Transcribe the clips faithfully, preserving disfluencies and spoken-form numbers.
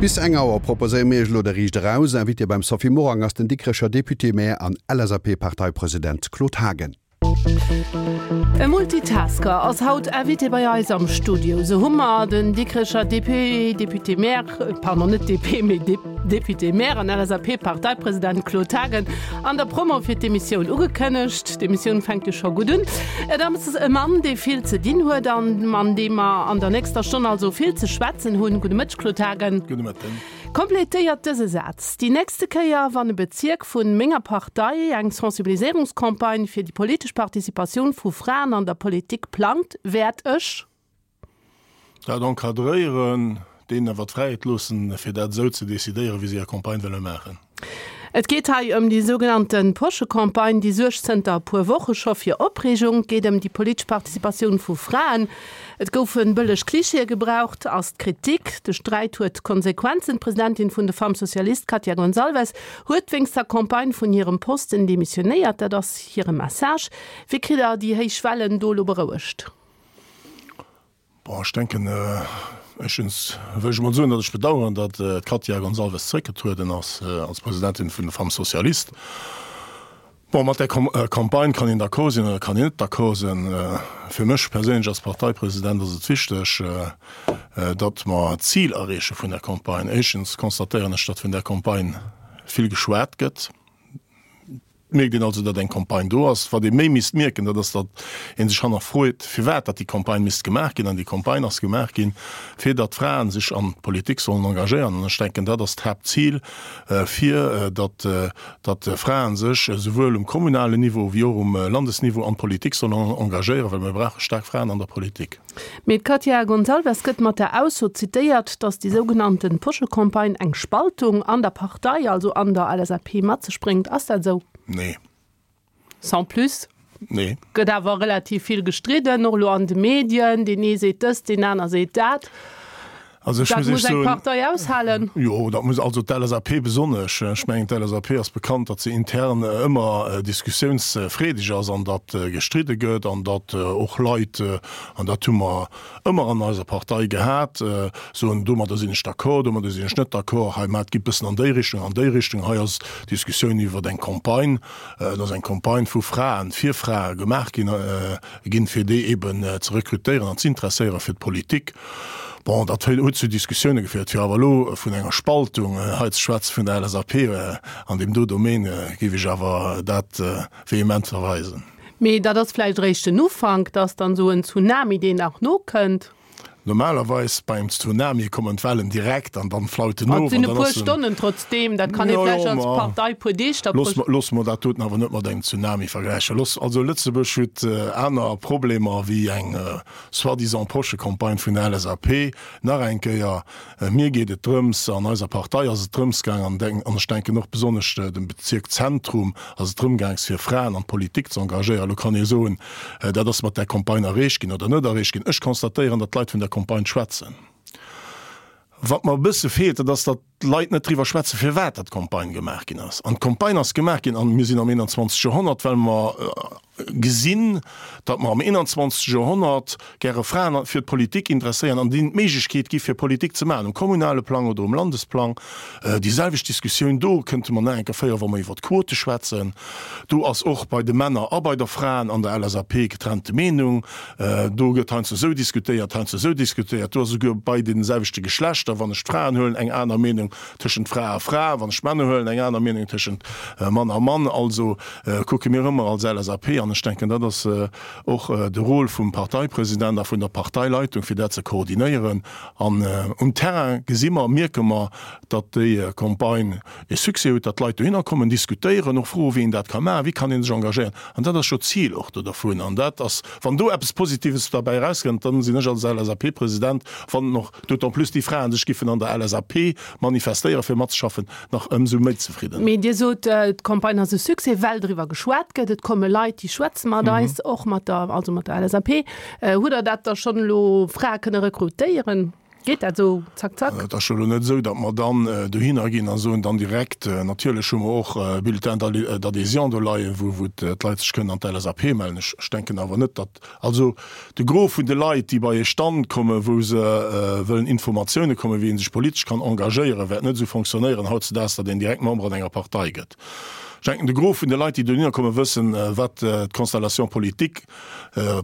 Bis eng Auer proposéiere mir Iech elo de Riicht Eraus. Invité beim Sophie Morang ass den Dikrecher Député-Maire an LSAP-Parteipresident Claude Haagen. E Multitasker ass haut Invité bei eis am Studio. Sou hu mer den Dikrecher D P, Député-Maire, pardon, net D P, mee Député-Maire an L S A P-Parteipresident Claude Haagen an der Promo fir d'Emissioun ugekënnegt. D'Emissioun fänkt jo scho gutt un. Et ass e Mann, dee vill ze dinn huet an mat deem mer an der nächster Stonn also vill ze schwätzen hunn. Gudde Mëtteg, Claude Haagen. Gudde Mëtten. Kompletéiert dëse Saz, Déi nächste Kéier, wann e Bezierk vu menger Partei eng Sensibiliséierungscampagne fir déi politesch Participatioun vu Fraen an der Politik plangt, wäert ech. Dat encadréieren, deenen awer d'Fräiheet loossen, fir dat esou ze decidéieren, wéi se hir Campagne wëlle maachen. Et geet hei ëm déi sougenannte Poschecampagne, déi suergt zënter e puer Woche scho fir Opreegung. Et geet ëm déi politesch Participatioun vu Fraen. Et goufe bëlleg Klischeeë gebraucht, ass d'Kritik. De Sträit huet Konsequenzen. D'Presidentin vun de Femmes Socialistes, Katia Gonçalves, huet wéinst der Campagne vun hirem Posten demissionéiert. Dat ass hire Message. Wéi kritt Der déi héich Wellen do elo berouegt? Bon, ech denken, éischtens wëll ech emol soen, datt ech bedauern, datt d'Katia Gonçalves zréckgetrueden ass als Presidentin vun de Femmes Socialistes. Bon, mat där Campagne kann een d'accord sinn oder kann een net d'accord sinn. Fir mech perséinlech als Parteipresident ass et wichteg, datt mer d'Zil erreeche vun där Campagne. Éischtens constatéieren ech, datt vun där Campagne vill geschwat gëtt. Et mierkt een also, datt eng Campagne do ass. Wat ee méi misst mierken, dat ass, datt ee sech hannerfroet, firwat datt déi Campagne misst gemaach ginn. An déi Campagne ass gemaach ginn, fir datt d'Fraen sech an d'Politik sollen engagéieren. An ech denken, dat ass d'Haaptzil, fir datt datt Fraen sech esouwuel um kommunalen Niveau wéi och um Landesniveau an d'Politik sollen engagéieren, well mir brauche staark Fraen an der Politik. Mee d'Katia Gonçalves gëtt mat der Ausso zitéiert, datt déi sougenannte Poschecampagne eng Spaltung an der Partei, also an der L S A P, mat sech bréngt. Ass dat esou? Nee. Sans plus? Nee. Gëtt awer relativ vill gestridden, och elo an de Medien, deen ee seet dëst, deen aner seet dat. Also ech Dat muss Iech muss eng soen, Partei aushalen. Jo, dat muss also d'L S A P besonnesch. Ech mengen, d'L S A P ass bekannt, datt se intern ëmmer diskussiounsfreedeg ass an datt gestridde gëtt an datt och Leit, an dat hu mer ëmmer an eiser Partei gehat, soen, domadder sinn ech d'accord, domadder sinn ech net d'accord, hei, mä et geet bëssen an déi Richtung, an déi Richtung. Hei ass d'Diskussioun iwwer eng Campagne, et ass eng Campagne vu Fraen fir Frae gemaach ginn, ginn, fir déi eben ze rekrutéieren an z'interesséiere fir d'Politik. Bon, dat huet zu Diskussioune geféiert. Fir awer elo vun enger Spaltung hei ze schwätzen vun der L S A P an deem do Domaine, géif ech awer dat vehement verweisen. Mee dat ass vläicht eréischt den Ufank, dass dann esou en Tsunami, deen nach nokënnt. Normalerweis beim Tsunami kommen d'Wellen direkt an dann flaut en Et of sinn an e dann puer ass en. Stonnen trotzdeem, dat kann ee Jo, vläicht jo, als ma Partei puer Deeg da. looss mer, loosse mer dat doten awer net mat engem Tsunami vergläichen. Looss, also Lëtzebuerg huet aner Problemer wéi eng soi-disant Poschecampagne vun der L S A P. Nach eng Kéier, mir geet et drëms, an eiser Partei ass et drëms gaang, an denk, an ech denken och besonnesch dem Bezierk Zentrum ass et drëm gaang, fir Fraen an d'Politik ze engagéieren. Elo kann ee soen, dat ass mat där Campagne erreecht ginn oder net erreecht ginn. Ech constatéieren, datt d'Leit vun der Campagne schwätzen. Wat mer e bësse feelt, dat ass, datt d'Leit net driwwer schwätzen, firwat dat d'Campagne gemaach ginn ass. An d'Campagne ass gemaach ginn, an mir sinn am einundzwanzegste. Joerhonnert, well mer gesinn, datt mer am einundzwanzegste. Joerhonnert gäre Fraen fir d'Politik interesséieren an deenen d'Méiglechkeet gi fir Politik ze maachen, um kommunale Plang oder um Landesplang. Déi selwecht Diskussioun do kënnte mer nach eng Kéier féieren, wa mer iwwer d'Quote schwätzen. Do ass och bei de Männer a bei der Fraen an der L S A P getrennte Meenung. Do gëtt heiansdo esou diskutéiert, heiansdo esou diskutéiert. Do ass esouguer bei deene selwechte Geschlechter, wann ech d'Fraen huelen, eng aner Meenung tëschent Fra a Fra, wann ech d'Männer huelen, eng aner Meenung tëschent Mann a Mann. Also kucke mir ëmmer als L S A P, an ech denken, dat ass och de Rôle vum Parteipresident a vun der Parteileitung, fir dat ze koordinéieren. An um Terrain gesi mer, mierke mer, datt déi Campagne e Succès huet, datt d'Leit dohinner kommen, diskutéieren, och froen, wéi een dat ka maachen, wéi kann ee sech engagéieren. An dat ass jo d'Zil och do dervun. An dat ass, wann do eppes Positives derbäi erauskënnt, dann sinn ech als L S A P-President, wann och d'autant plus déi Fraen sech giffen an der L S A P manifestéieren, fir matzeschaffen, nach ëmsou méi zefridden. Mee Dir sot, d'Campagne ass e Succès, well driwwer geschwat gëtt. Et komme Leit, déi schwätze mat eis, och mat der, also mat der L S A P. Hutt Der dat da schonn elo Frae kënne rekrutéieren? Geet dat esou zack zack? Et ass jo elo net esou, datt mer dann dohinner ginn a soen dann direkt, natierlech hu mer och Bulletins d'adhésion do leien, wou d'Leit sech kënnen an d'LSAP mellen. Ech denken awer net, datt, also de Gros vun de Leit, déi bei ee Stand kommen, wou se wëllen Informatioune kommen, wéi ee sech politesch kann engagéieren, wäert net esou fonctionnéieren hautzedaags, datt een direkt Member an enger Partei gëtt. Ech denken, de Gros vun de Leit, déi dohinner kommen, wëssen, wat d'Constellation politique,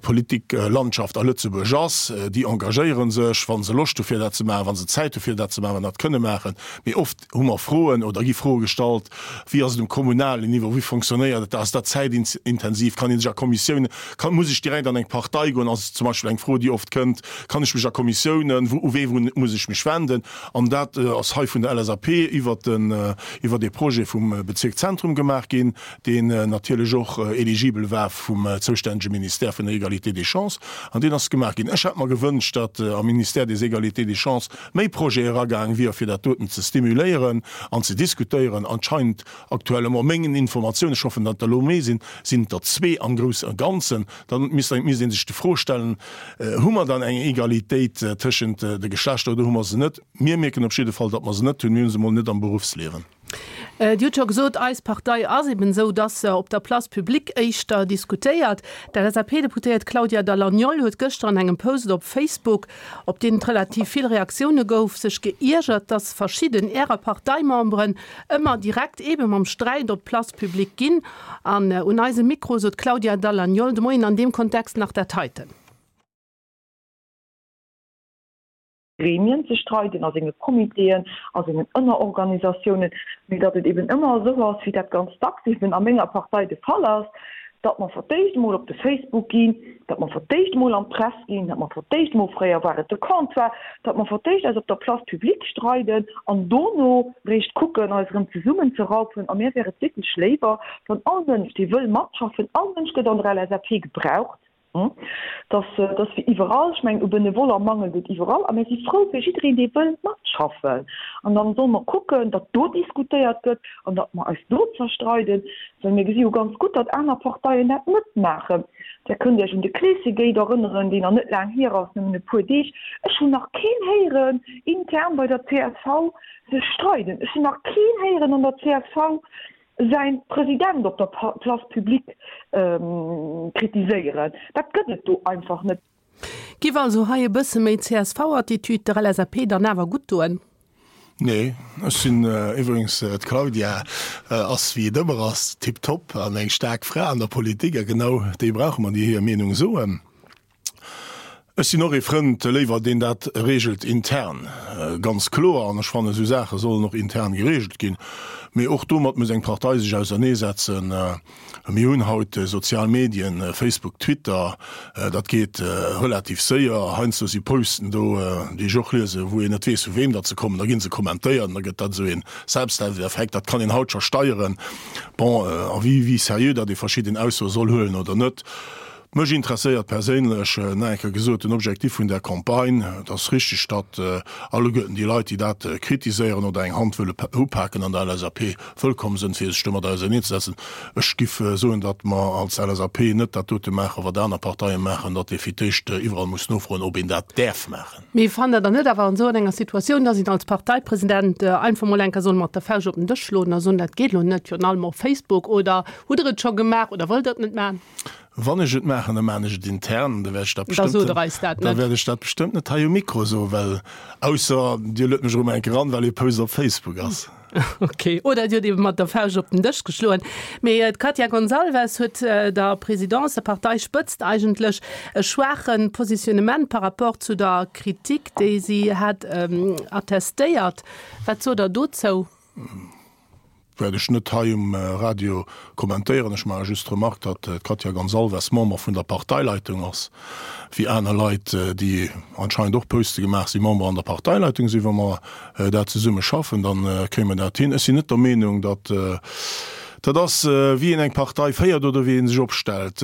Politiklandschaft a Lëtzebuerg ass. Déi engagéiere sech, wa se Loscht hu fir dat ze maachen, wa se Zäit hu fir dat ze maachen, dat kënne maachen. Mee oft hu mer Froen oder gi Froe gestallt, Wéi ass et um kommunalen Niveau, wéi fonctionnéiert et da, ass dat zäitintensiv, kann ee sech a Kommissiounen, kann, muss ech direkt an eng Partei goen, ass zum Beispill eng Fro, déi oft kënnt, kann ech mech a Kommissiounen, wou, u wee muss ech mech wenden? An dat ass hei vun der LSAP iwwert den, iwwert ee Projet vum Bezierk Zentrum gemaach ginn, deen natierlech och éligibel war vum zoustännege Ministère vun der Égalité des chances, an deen ass gemaach ginn. Ech hätt mer gewënscht, datt am Ministère des Égalités des chances méi Projete eragaang wier, fir dat doten ze stimuléieren an ze diskutéieren. Anscheinend aktuellement, mengen Informatiounen, ech hoffen, datt der elo méi sinn, sinn et der zwee am Grousse a Ganzen. Da misst ee sech d'Fro stellen, Hu mer dann eng Egalitéit tëschent de Geschlechter oder hu mer se net? Mir mierken op jidde Fall, datt mer se net hunn. Mir hu se emol net am Beruffsliewen. Dir hutt scho gesot, eis Partei ass eben esou, datt se op der Place publique éischter diskutéiert. D'LSAP-Deputéiert Claudia Dall'Agnol huet gëschter an engem Post op Facebook, op deen et relativ vill Reaktioune gouf, sech geiergert, datt verschidden Ärer Parteimemberen ëmmer direkt ebe mam Sträit op d'Place publique ginn. An un eisem Mikro sot d'Claudia Dall'Agnol de Moien an deem Kontext nach dat heiten. Gremien ze streiden, a senge Comitéen, a sengen Ënnerorganisatiounen, mee datt et eben ëmmer esou ass, wéi dat ganz dacks eben a menger Partei de Fall ass, datt mer fir d'éischt emol op de Facebook ginn, datt mer fir d'éischt emol an d'Press ginn, datt mer fir d'éischt emol, fréier war et de Comptoir, datt mer fir d'éischt eis op der Place publique streiden an dono réischt kucken, eis erëm zesummenzeraufen. A mir wär et wierklech léiwer, wann all Mënsch, dee wëll matschaffen, all Mënsch gëtt an der LSAP gebraucht, Dass, dass wéi iwwerall, ech mengen u Benevoller mangelt et iwwerall, a mir si frou fir jiddereen, dee wëll matschaffen. An dann solle mer kucken, datt do diskutéiert gëtt an datt mer eis do zerstreiden, well mir gesi jo ganz gutt, datt aner Parteien dat net maachen. Där kënnt Iech un de Kleeschegate erënneren, deen nach net laang hier ass, nëmmen e puer Deeg. Ech hunn nach keen héieren intern bei der csv sech streiden. Ech hunn nach keen héieren an der csv säin President op der Place publique kritiséieren. Dat gëtt et do einfach net. Giff also hei e bësse méi CSV-Attitude der LSAP dann awer gutt doen? Nee, ech sinn iwwregens, d'Claudia ass wéi et ëmmer ass, tiptop an eng staark Fra an der Politik a genau déi brauche mer, déi hir Meenung soen. Ech sinn och ee Frënd léiwer, deen dat regelt intern, ganz kloer, an ech fannen, esou Saache sollen och intern geregelt ginn. Mee och domat muss eng Partei sech auserneesetzen. Mir hunn haut sozial Medien, Facebook, Twitter, dat geet relativ séier. Heiansdo si Posten do, déi ech och liesen, wou een net weess, vu weem datt se kommen. Da gi se kommentéiert an da gëtt dat esou een Selbstläufereffekt. Dat kann een haut scho steieren. Bon, a wéi seriö datt ee verschidden Aussoe soll huelen oder net, Mech interesséiert perséinlech, nach eng Kéier gesot, den Objectif vun där Campagne. Et ass richtig, datt alleguerten déi Leit, déi dat kritiséieren oder eng Hand wëlle upaken an der LSAP, wëllkomm sënn, fir sech domat auserneenzesetzen. Ech giff soen, datt mer als LSAP net dat dote maachen, wat aner Parteie maachen, datt ee fir d'éischt iwwerall muss nofroen, ob een dat däerf maachen. Mee fannt Der dann net awer an esou enger Situatioun, datt een als Parteipresident einfach mol eng Kéier soll mat der Fauscht op den Dësch schloen a soen, dat geet elo net, virun allem op Facebook? Oder hutt Der et scho gemaach oder wëllt Der et net maachen? Wann ech et maachen, da maachen ech et intern, da wäert ech dat bestëmmt, da wäert ech dat bestëmmt net hei um Mikro soen, well, ausser Dir luet mech erëm eng Kéier eran, well ee Post op Facebook ass. Ok, oder Dir hutt ebe mat der Fauscht op den Dësch geschloen. Mee d'Katia Gonçalves huet der Présidence, der Parteispëtzt eigentlech, e schwaache Positionnement par rapport zu der Kritik, déi si hat, attestéiert. Wat sot Der dozou? Wäert ech net hei um Radio kommentéieren. Ech maache just d'Remark, datt d'Katia Gonçalves Member vun der Parteileitung ass, wéi aner Leit, déi anscheinend och Poste gemaach sinn, Member an der Parteileitung sinn. Wa mer dat zesumme schaffen, da kréie mer dat hin. Ech sinn net der Meenung, datt Dat ass, wéi een eng Partei féiert oder wéi ee sech opstellt.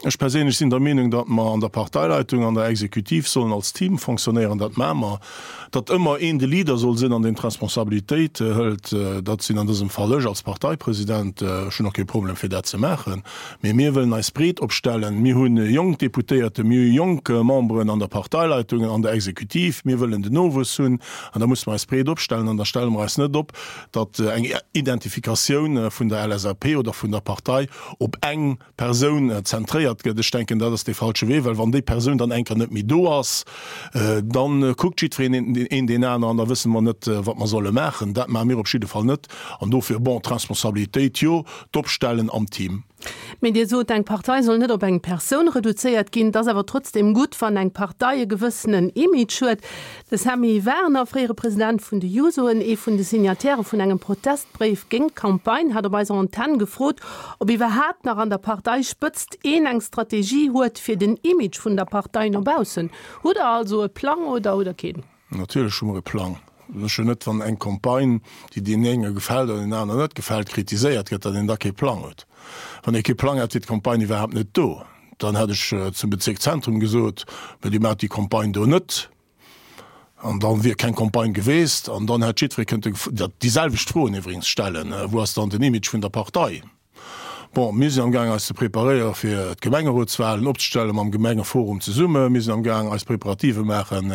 Ech perséinlech sinn der Meenung, datt mer an der Parteileitung, an der Exekutiv sollen als Team fonctionnéieren. Dat maache mer. Datt ëmmer een de Leader soll sinn an deen d'Responsabilitéit hëlt, dat sinn an dësem Fall ech als Parteipresident. Ech hunn och kee Problem fir dat ze maachen. Mee mir wëllen eis breet opstellen. Mir hu jonk Deputéierte, mir hu jonk Memberen an der Parteileitung, an der Exekutiv. Mir wëllen den Nowuess hunn an da musse mer eis breet opstellen an da stelle mer eis net op, datt eng Identifikatioun vun der L S A P oder vun der Partei op eng Persoun zentréiert gëtt. Ech denken, dat ass dee falsche Wee, well wann déi Persoun dann eng Kéier net méi do ass, da kuckt jiddwereen een deen aneren an da wësse mer net, wat mer solle maachen. Dat maache mir op jidde Fall net. An dofir, bon, d'Responsabilitéit, jo, d'Opstellen am Team. Mee Dir sot, eng Partei soll net op eng Persoun reduzéiert ginn. Et ass awer trotzdeem gutt, wann eng Partei e gewëssenen Image huet. De Sammy Werner, fréiere President vun de Jusoen, ee vun de Signatairë vun engem Protestbréif géint d'Campagne, hat op eiser Antenn gefrot, ob iwwerhaapt nach an der Parteispëtzt een eng Strategie huet fir den Image vun der Partei no baussen. Hutt Der also e Plang oder hutt Der keen? Natierlech hu mer e Plang. Sécher net, wann eng Campagne, déi deenen enge gefält an deenen aneren net gefält, kritiséiert gëtt, datt een da kee Plang huet. Wann ee kee Plang hätt, wier d'Campagne iwwerhaapt net do. Dann hätt ech zum Bezierk Zentrum gesot, Mä Dir maacht déi Campagne do net. An da wier keng Campagne geweest. An dann hätt jiddweree kënnte déi selwecht Froen iwwregens stellen, Wou ass dann den Image vun der Partei? Bon, mir sinn amgaang eis ze preparéiere fir d'Gemengerotswahlen opzestelle mam Gemengeforum zesumme. Mir sinn amgaang eis Preparative maachen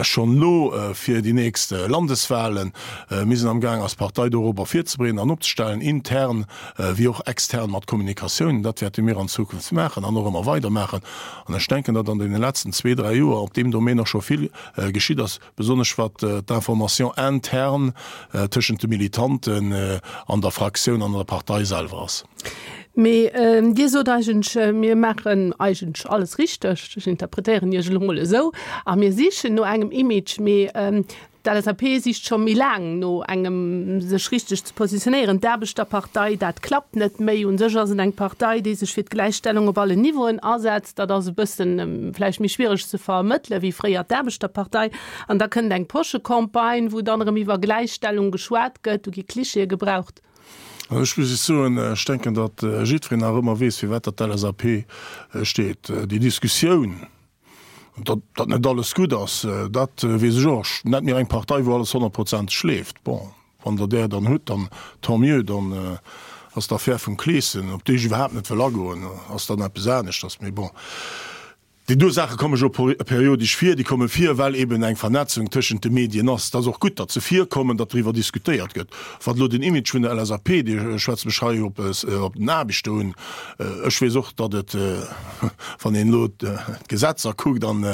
schonn elo fir déi nächst Landeswahlen. Mir sinn amgaang eis Partei dorobber virzebereeden an opzestellen, intern wéi och extern mat Kommunikatioun. Dat wäerte mir an Zukunft maachen an och ëmmer weider maachen. An ech denken, datt an deene letzten zwee, dräi Joer op deem Domaine och scho vill geschitt ass, besonnesch wat d'Information interne tëschent de Militanten an der Fraktioun an der Partei selwer ass. Mee Dir sot eigentlech, mir maachen eigentlech alles richteg, ech interpretéieren Iech elo mol esou, a mir sichen no engem Image. Mee d'L S A P sicht scho méi laang no engem, sech richteg ze positionéieren. D'Aarbechterpartei, dat klappt net méi. U sech ass et eng Partei, déi sech fir d'Gläichstellung op allen Niveauen asetzt. Dat ass e bëssen vläicht méi schwiereg ze vermëttele wéi fréier d'Aarbechterpartei. An da kënnt eng Poschecampagne, wou dann erëm iwwer Gläichstellung geschwat gëtt, do gi Klischeeë gebraucht. Also ech muss Iech soen, ech denken, datt jiddwereen nach ëmmer weess, firwat datt d'L S A P steet. Déi Diskussioun, datt datt net alles gutt ass, dat weess ech och. Ech Nennt mir eng Partei, wou alles honnertprozenteg leeft. Bon, wann Der där dann hutt, dann tant mieux, dann ass d'Affär vum Kleeschen, op déi ech iwwerhaapt net wëll agoen, ass dann eppes aneschters. Mee bon. Déi do Saache komme jo periodesch vir. Déi komme vir, well eben eng Vernetzung tëschent de Medien ass. Et ass och gutt, datt se virkommen, datt driwwer diskutéiert gëtt. Wat elo den Image vun der L S A P, Dir schwätzt mech hei op den Aarbechter un, ech weess och, datt et, wann een elo d'Gesetzer kuckt an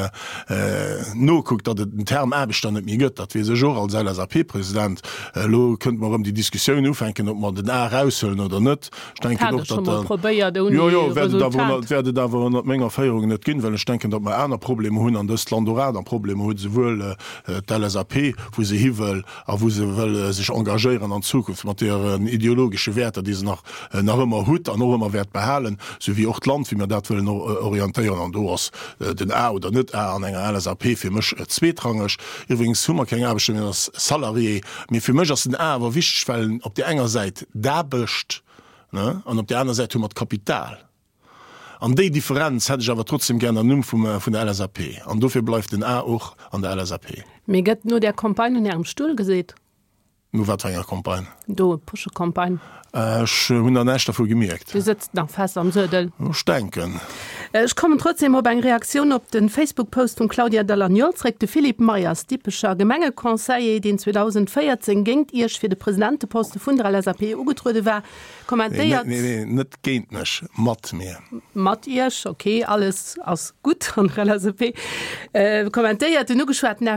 nokuckt, datt et den Term Aarbechter net méi gëtt. Dat weess ech och als L S A P-President. Elo kënnte mer erëm déi Diskussioun ufänken, ob mer den A eraushuelen oder net. Ech denken och, datt der. Probéiert ouni Jo, jo, wäert et awer Resultat. wäert et awer ënnert menger Féierung net ginn, well ech denken, datt mer aner Problemer hunn an dëst Land och aner Problemer huet, esouwuel d'L S A P, wou se hi wëll a wou se wëll sech engagéieren an Zukunft mat hiren ideologesche Wäerter, déi se nach nach ëmmer hutt an och ëmmer wäert behalen, sou wéi och d'Land, wéi mer dat wëllen orientéieren. An do ass den A oder net A an enger L S A P fir mech zweetrangeg. Iwwregens hu mer keng Aarbechter, mir ass Salarié. Mee fir mech ass den A awer wichteg, well en op där enger Säit d'Aarbecht, ne, an op där aner Säit hu mer d'Kapital. An déi Differenz hätt ech awer trotzdem gär am Numm vum, vun der L S A P. An dofir bleift den A och an der L S A P. Mee gëtt no där Campagne un Ärem Stull geseet? No wat fir enger Campagne? Do, Poschecampagne. Ech hunn nach näischt dervu gemierkt. Dir sëtzt nach fest am Suedel? Ech denken. Ech kommen trotzdem op eng Reaktioun op de Facebook-Post vum Claudia Dall'Agnol zréck. De Philippe Meyers, Dippecher Gemengeconseiller, deen zweedausendvéierzéng géint Iech fir de Presidenteposte vun der L S A P ugetruede war, kommentéiert. Nee, nee, nee, net géint mech, mat mir. Mat Iech, ok, alles ass gutt an der L S A P. Kommentéiert den ugeschwaten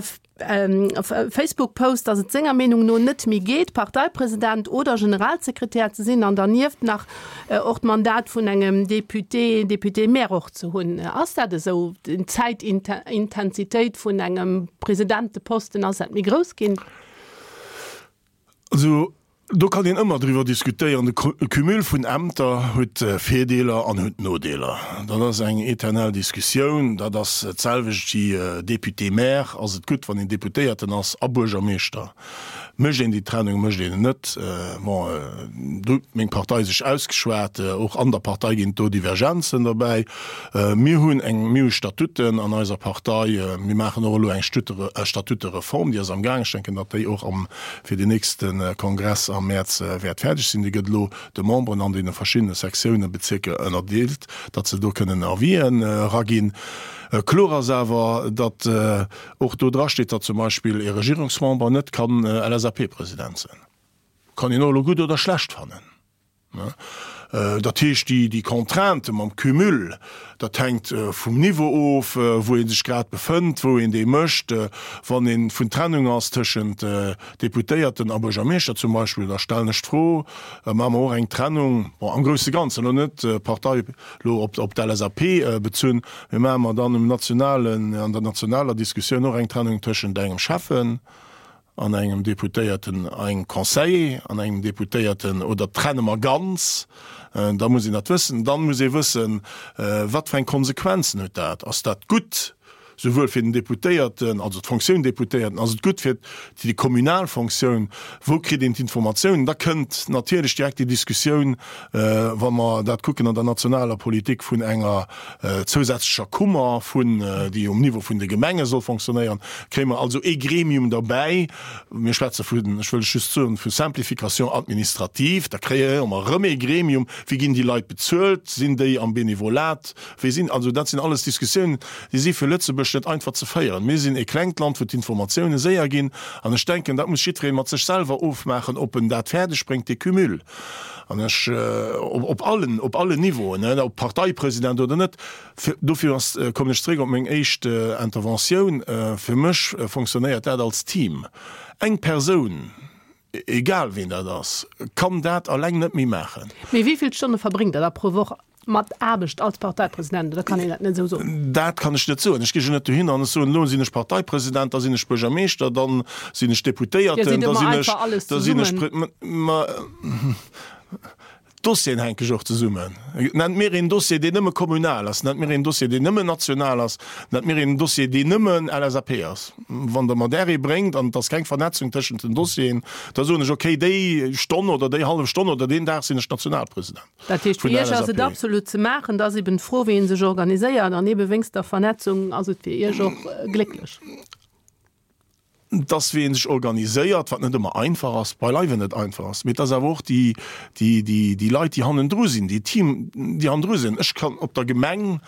Facebook-Post, datt et senger Meenung no net méi geet, Parteipresident oder Generalsekretär ze sinn an dernieft nach och d'Mandat vun engem Député, Député-maire och ze hunn. Ass dat esou, d'Zäitintensitéit vun engem Presidenteposten, ass dat méi grouss ginn? Also Do kann een ëmmer driwwer diskutéieren. De Cumul vun Ämter huet Virdeeler an huet Nodeeler. Dat ass eng eternell Diskussioun. Dat ass d'selwecht wéi Député-maire. Ass et gutt, wann een Deputéierten ass a Buergermeeschter? Mécht een déi Trennung, mécht een en net? Bon, do huet meng Partei sech ausgeschwat. Och an der Partei ginn et do Divergenzen derbäi. Mir hunn eng, mir hu Statuten an eiser Partei. Mir maachen och elo eng Statutereform, déi ass am Gaang. Ech denken, datt déi och am, fir den nächste Kongress am Mäerz wäert fäerdeg sinn. Déi gëtt elo de Memberen an deene verschiddene Sektiounen, Bezierker ënnerdeelt, datt se do kënnen Avisen eraginn. Kloer ass awer, datt och do drasteet, datt zum Beispill ee Regierungsmember net kann LSAP-President sinn. Kann een och elo gutt oder schlecht fannen. Dat heescht, déi Contrainte mam Cumul, dat hänkt vum Niveau of, wou ee sech grad befënnt, wou een dee mécht. Wann ee vun Trennung ass tëschent Deputéierten a Buergermeeschter zum Beispill, da stellen ech d'Fro, Maache mer och eng Trennung, bon, am grousse Ganzen, elo net Partei, elo op d'LSAP bezunn, mee maache mer dann um nationalen, an der nationaler Diskussioun och eng Trennung tëschent engem Schäffen an engem Deputéierten, engem Conseiller an engem Deputéierten, oder trenne mer ganz? Da muss een dat wëssen. Dann muss ee wëssen, wat fir eng Konsequenzen huet dat? Ass dat gutt souwuel fir den Deputéierten, also d'Fonctioun Deputéierten, ass et gutt fir déi kommunal Fonctioun? Wou kritt een d'Informatiounen? Da kënnt natierlech direkt déi Diskussioun, wa mer dat kucken an der nationaler Politik, vun enger zousätzlecher Kummer, vun, déi um Niveau vun de Gemenge soll fonctionnéieren, kréie mer also ee Gremium derbäi. Mir schwätze vun, ech wëll just soen, vu Simplification administrative. Da kréie mer erëm ee Gremium. Wéi ginn déi Leit bezuelt? Sinn déi am Benevolat? Wéi sinn, also dat sinn alles Diskussiounen, déi si fir Lëtzebuerg net einfach ze féieren. Mir sinn ee klengt Land, wou d'Informatioune séier ginn. An ech denken, dat muss jiddweree mat sech selwer ofmaachen, ob en dat fäerdeg bréngt, dee Cumul. An ech, op allen, op allen Niveauen, ob Parteipresident oder net, dofir ass, kommen ech zréck op meng éischt Interventioun, fir mech fonctionnéiert dat als Team. Eng Persoun, egal ween dat ass, kann dat alleng net méi maachen. Mee wéi vill Stonne verbréngt Der da pro Woch mat Aarbecht als Parteipresident, oder kann een dat net esou soen? Dat kann ech net soen. Ech gi jo net dohin an ech soen, elo sinn ech Parteipresident, da sinn ech Buergermeeschter, da sinn ech Deputéierten, da sinn ech, da sinn ech. Ma d'Dossieren hänke jo och zesummen. Nennt mir een Dossier, deen nëmme kommunal ass, nennt mir een Dossier, deen nëmmen national ass, nennt mir een Dossier, deen nëmmen LSAP ass. Wann Der mer där ee bréngt an et ass keng Vernetzung tëschent den Dossieren, da soen ech, okay, déi Stonn oder déi hallef Stonn oder deen Dag sinn ech Nationalpresident. Dat heescht, fir Iech ass et absolut ze maachen. Et ass eben d'Fro, wéi ee sech organiséiert. An ebe wéinst der Vernetzung ass et fir Iech och glécklech. Et ass, wéi ee sech organiséiert, wat net ëmmer einfach ass, beileiwe net einfach ass. Mee et ass awer och déi, déi, déi, déi Leit, déi hannendru sinn, déi Team, déi hannendru sinn. Ech kann op der Gemeng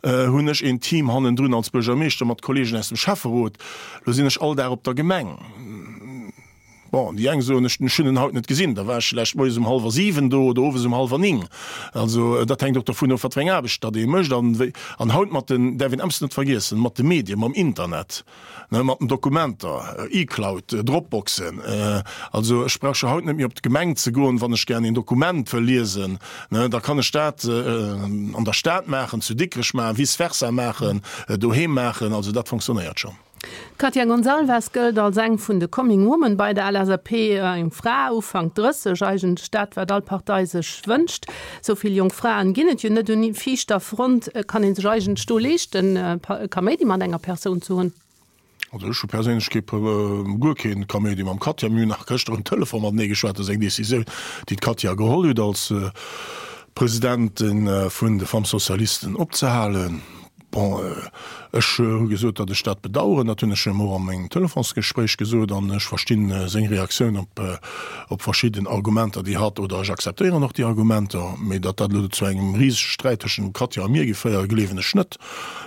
hunn ech een Team hannendrun als Buergermeeschter mat Kolleegen aus dem Schäfferot. Lo sinn ech all Dag op der Gemeng. Bon, déi eng soen, ech hunn en haut net gesinn, da war ech vläicht moies um hallwer siwen do oder owes um hallwer ning. Also dat hänkt och dovun of, wat fir eng Aarbecht datt ee mécht. An wéi, an haut mat den, däerf een eppes net vergiessen, mat de Medien, mam Internet, ne, mat den Dokumenter, E-Cloud, Dropboxen, also ech brauch jo haut net méi op d'Gemeng ze goen, wann ech gären een Dokument wëll liesen, ne, da kann ech dat an der Stad maachen, zu Dikrech maachen, vice versa maachen, doheem maachen, also dat fonctionnéiert schonn. D'Katia Gonçalves gëllt als eng vun de Coming Women bei der LSAP, eng Fra Ufank drësseg, eigentlech dat, wat all Partei sech wënscht. Sou vill jonk Fraen ginn et jo net un viischter Front. Kann ee sech eigentlech do leeschten, Kaméidi mat enger Persoun ze hunn? Also ech hu perséinlech kee, guer kee Kaméidi mam Katia. Mir hunn nach gëschter um Telefon matenee geschwat. Dat ass eng Decisioun, déi d'Katia geholl huet, als Presidentin vun de Femmes Socialistes opzehalen. Bon, ech hu gesot, datt ech dat bedauern. Dat hunn ech him och a mengem Telefonsgespréich gesot. An ech verstinn seng Reaktioun op, op verschidden Argumenter, déi hatt, oder ech akzeptéieren och déi Argumenter. Mee datt dat elo zu engem risege Sträit tëschent dem Katja a mir géif féieren, gleewen ech net.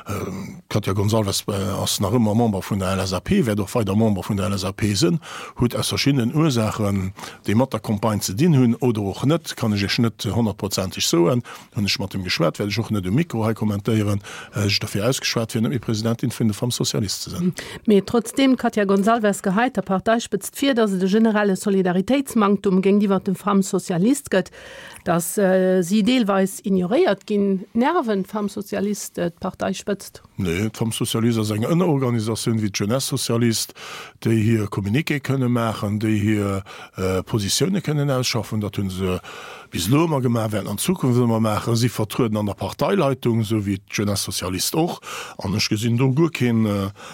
D'Katja Gonçalves ass nach ëmmer Member vun der LSAP, wäert och weider Member vun der LSAP sinn, huet aus verschiddenen Ursaachen, déi mat der Campagne ze dinn hunn oder och net, kann ech Iech net honnertprozenteg soen, Hunn ech mat him geschwat, wäert ech och net um Mikro hei kommentéieren, sech derfir ausgeschwat, fir net méi Presidentin vun de Femmes Socialistes ze sinn. Mee trotzdeem, d'Katia Gonçalves geheit der Parteispëtzt vir, datt et e generelle Solidaritéitsmanktum géintiwwer de Femmes Socialistes gëtt, datt si deelweis ignoréiert ginn. Nerven d'Femmes Socialistes d'Parteispëtzt? Nee, d'Femmes Socialistes ass eng Ënnerorganisatioun wéi d'Jeunesse Socialiste, déi hir Communiqué kënne maachen, déi hir Positioune kënnen ausschaffen. Dat hu se bis elo ëmmer gemaach, wäerten an Zukunft ëmmer maachen. Si vertrueden an der Parteileitung, esou wéi d'Jeunesse Socialiste och. An ech gesinn do guer keen,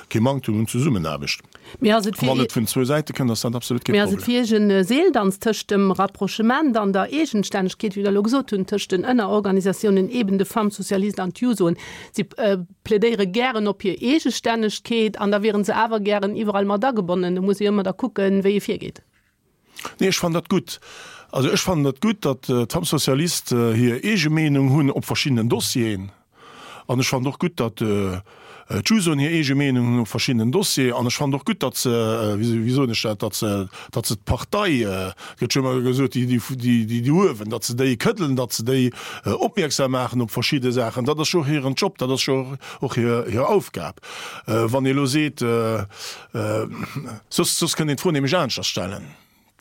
kee Manktum un Zesummenaarbecht. Mee ass et fir Wann et vun zwou Säite kënnt, ass dat absolut kee Mee ass et Problem. fir Iech e Seeldanz tëscht dem Rapprochement an der Eegenstännegkeet, wéi Der elo gesot hunn, tëscht den Ënnerorganisatiounen, eben de Femmes Socialistes an d'Jusoen? Si plädéiere gären op hir Eegestännegkeet an da wiere se awer gären iwwerall mat agebonnen. Do muss ee jo ëmmer da kucken, wéi ee virgeet. Nee, ech fannen dat gutt. Also ech fannen dat gutt, datt d'Femmes Socialistes hir eege Meenung hunn op verschiddenen Dossieren. An ech fannen och gutt, datt d'Jusoen hir eege Meenung hunn op verschiddenen Dossieren. An ech fannen och gutt, datt se, wéi soen ech dat, datt se, datt se d'Partei, et gëtt jo ëmmer gesot, déi, déi, déi déi uewen, datt se déi këddelen, datt se déi opmierksam maachen op verschidde Saachen. Dat ass jo och hiren Job, dat ass jo och hir, hir Aufgab. Wann ee elo seet, soss, soss kënnt een d'Fro nämlech aneschters stellen.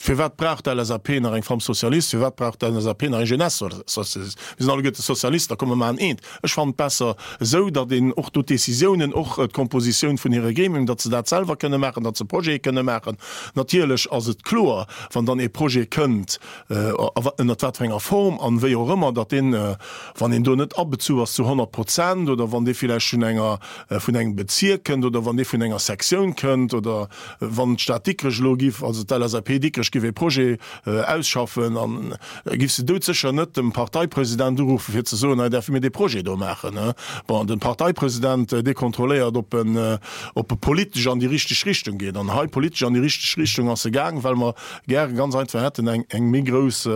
Firwat brauch d'LSAP nach eng Femme socialiste? Firwat brauch d'LSAP nach eng Jeunesse socialiste? Mir sinn alleguerte Sozialisten, da komm mir maachen eent. Ech fannen et besser esou, datt een och do d'Décisiounen, och d'Kompositioun vun hire Gremien, datt se dat selwer kënne maachen, datt se Projete kënne maachen. Natierlech ass et kloer, wann dann ee Projet kënnt, ënnert wat fir enger Form an wéi och ëmmer, datt deen, wann een do net abezu ass zu honnert Prozent oder wann dee villäicht vun enger, vun engem Bezierk kënnt oder wann dee vun enger Sektioun kënnt oder wann d'Stad Dikrech elo giff, also d'LSAP Dikrech giff ee Projet ausschaffen, an giff se doudsécher net dem Parteipresident uruffen, fir ze soen, hei däerfe mir dee Projet do maachen. Bon, de Parteipresident, dee kontrolléiert, ob en, ob e politesch an déi richteg Richtung geet. An hei politesch an déi richteg Richtung ass e gaang, well mer gäre ganz einfach hätten eng, eng méi grouss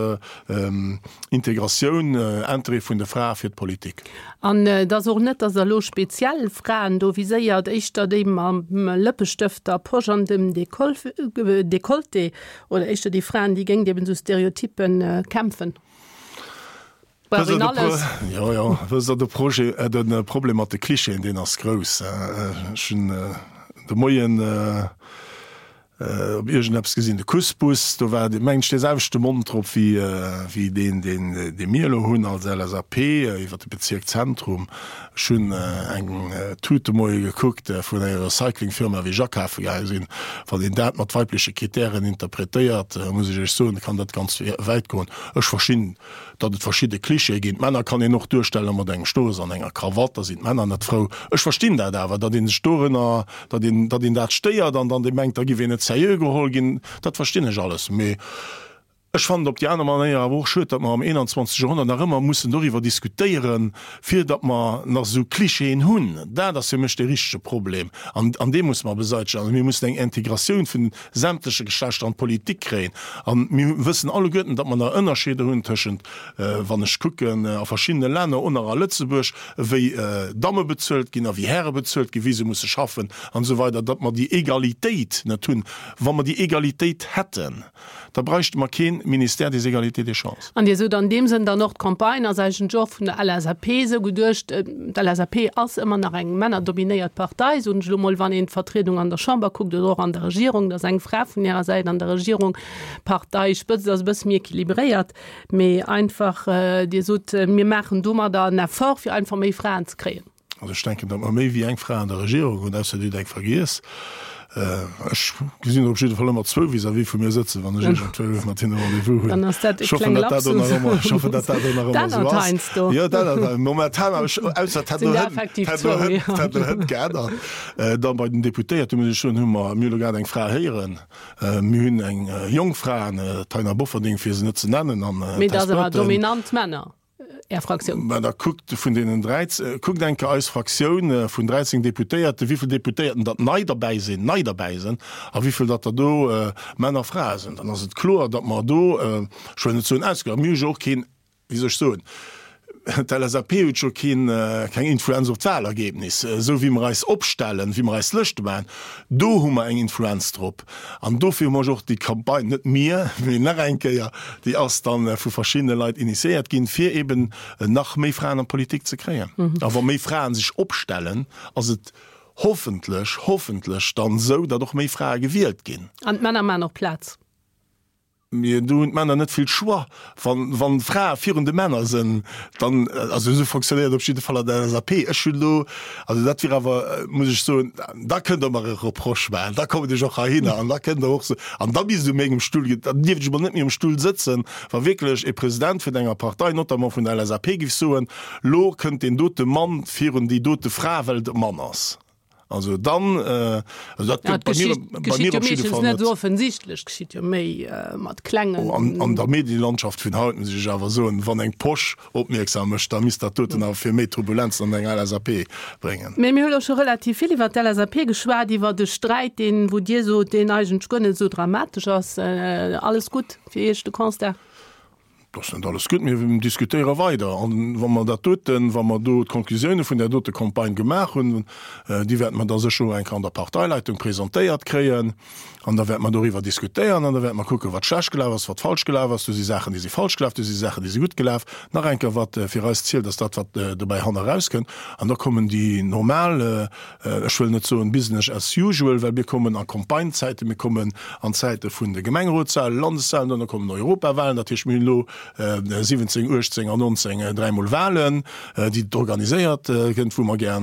Integratioun, Interêt vun de Frae fir d'Politik. An et ass och net, datt Der elo speziell Fraen do viséiert, éischter déi mam Lëppestëft der Posch an dem Decolleté oder éischter déi Fraen, déi géint eben esou Stereotyppe kämpfen. Brauch een alles. Jo, jo, wësst Der, de Projet, de Problem mat de Klischeeën, deen ass grouss. Ech hunn de Moien op iergendeppes gesinn, de Kussbus, do war, mengen ech, dee selwechte Mond drop wéi, wéi deen, deen, dee mir elo hunn als LSAP iwwer de Bezierk Zentrum. Ech hunn eng Tut de Moie gekuckt vun enger Recyclingfirma, wéi ech akafe gaange sinn. Wann een dat mat weibleche Kritären interpretéiert, muss ech Iech soen, kann dat ganz wäit goen. Ech verstinn, datt et verschidde Klischeeë ginn. D'Männer kann een och duerstelle mat engem Stouss an enger Krawatt, da sinn d'Männer net frou. Ech verstinn dat awer, datt ee sech dorënner, datt een, datt een dat stéiert an dann dee mengt, da giff een net seriö geholl ginn. Dat verstinn ech alles. Mee ech fannen et op déi aner Manéier awer och schued, datt mer am einundzwanzeg Joerhonnert nach ëmmer mussen doriwwer diskutéieren, fir datt mer nach esou Klischeeën hunn. Dat ass fir mech dee richtege Problem an, an dee musse mer beseitegen. Also mir mussen eng Integratioun vun sämtleche Geschlechter an d'Politik kréien. A mir wëssen alleguerten, datt mer nach Ënnerscheeder hunn tëschent, wann ech kucken a verschiddene Länner, och nach a Lëtzebuerg, wéi Damme bezuelt ginn a wéi Häre bezuelt ginn, wéi se musse schaffen an esou weider, datt mer déi Egalitéit net hunn. Wa mer déi Egalitéit hätten, da bräichte mer kee Ministère des Égalités des chances. An Dir sot an deem Sënn dann och, d'Campagne ass eigentlech och vun der LSAP esou geduecht, d'LSAP ass ëmmer nach eng männerdominéiert Partei, soen ech elo mol, wann een d'Vertriedung an der Chamber kuckt oder och an der Regierung, da ass eng Fra vun hirer Säit an der Regierung, d'Parteispëtzt ass e bësse méi équilibréiert, mee einfach, Dir sot, mir maachen domadder en Effort, fir einfach méi Fraen ze kréien. Also ech denken, datt mer méi wéi eng Fra an der Regierung hunn, ausser Dir hutt eng vergiess. Ech gesinn der op jidde Fall ëmmer zwou vis-à-vis vu mir sëtzen, wann ech iergendwou mat hinne Rendez-vous hunn. Dann ass dat e Ech hoffen, klenge datt dat do Lapsus. nach ëmmer, ech hoffen, datt dat do nach ëmmer Dat esou ännert ass. heiansdo. Jo, dat ännert momentan, awer ech, ausser et hätt Sinn elo der hënt, effektiv hätt elo zwou, hënt, jo. hätt elo hënt geännert. Dann bei den Deputéierten, muss ech soen, hu mer, mir hu elo grad eng Fra héieren. Mir hunn eng jonk Fra, d'Taina Bofferding, fir se net ze nennen, an Mee dat d'Tess ass awer Burton. dominant Männer. Är Fraktioun? Mä da kuckt vun deenen dräizéng, kuckt eng Kéier eis Fraktioun vun dräizéng Deputéierten, wéivill Deputéierten datt nei derbäi sinn, nei derbäi sinn, a wéivill datt der do Männer a Frae sinn. Dann ass et kloer, datt mer do, ech wëll net soen ausgeglaach, mir hu jo och keen, wéi soll ech soen, d'LSAP huet jo keen, keng Influenz op d'Wahlergebnis. Esou wéi mer eis opstellen, wéi mer eis Lëschte maachen, do hu mer eng Influenz drop. An dofir hu mer och déi Campagne, net mir, mee nach eng Kéier, déi ass da vu verschiddene Leit initiéiert ginn, fir eben nach méi Fraen an d'Politik ze kréien. A wa méi Fraen sech opstellen, ass et hoffentlech, hoffentlech dann esou, datt och méi Frae gewielt ginn. An d'Männer maachen och Plaz. Mee do hunn d'Männer net vill Choix. Wann, wann d'Frae virun de Männer sinn, dann, also esou fonctionnéiert et op jidde Fall an der LSAP. Ech hunn elo, also dat wier awer, muss ech soen, da kënnt Der mer e Reproche maachen, da kommen ech och heihinner an da kënnt Der och so, an da misst u mengem Stull, dann dierft ech emol net méi um Stull sëtzen, wa wierklech e President vun enger Partei, notamment vun der LSAP, géif soen, Lo kënnt deen dote Mann virun déi dote Fra, well et e Mann ass. Also dann, also dat gëtt bei mir, bei mir op jidde Fall net. Geschitt jo meeschtens net esou offensichtlech, geschitt jo méi mat klengen. An, an der Medienlandschaft vun haut muss ech awer soen, wann eng Posch opmierksam mécht, da misst dat doten awer fir méi Turbulenzen an eng LSAP bréngen. Mee mir hu lo scho relativ vill iwwert d'LSAP geschwat, iwwert e Sträit, deen, wou Dir sot, deen eigentlech guer net esou dramatesch ass. Alles gutt fir Iech, de Constat? Et ass net alles gutt, mir diskutéiere weider. A wa mer dat doten, wa mer do d'Konklusioune vun där dote Campagne gemaach hunn, déi wäerte mer da sécher och eng Kéier an der Parteileitung presentéiert kréien, an da wäerte mer doriwwer diskutéieren an da wäerte mer kucken, wat schlecht gelaf ass, wat falsch gelaf ass. Do si Saachen, déi si falsch gelaf, do si Saachen, déi si gutt gelaf. Nach eng Kéier, wat fir eis zielt, ass dat, wat dobäi hanne erauskënnt. An da kommen déi normal, ech wëll net soen business as usual, well mir kommen a Campagnezäiten, mir kommen an Zäite vun de Gemengerotswahlen, Landeswahlen, dann kommen Europawahlen, dat heescht mir hunn elo siwwenzéng, uechtzéng an nonzéng dräimol Wahlen, déi organiséiert gënnt, wou mer gär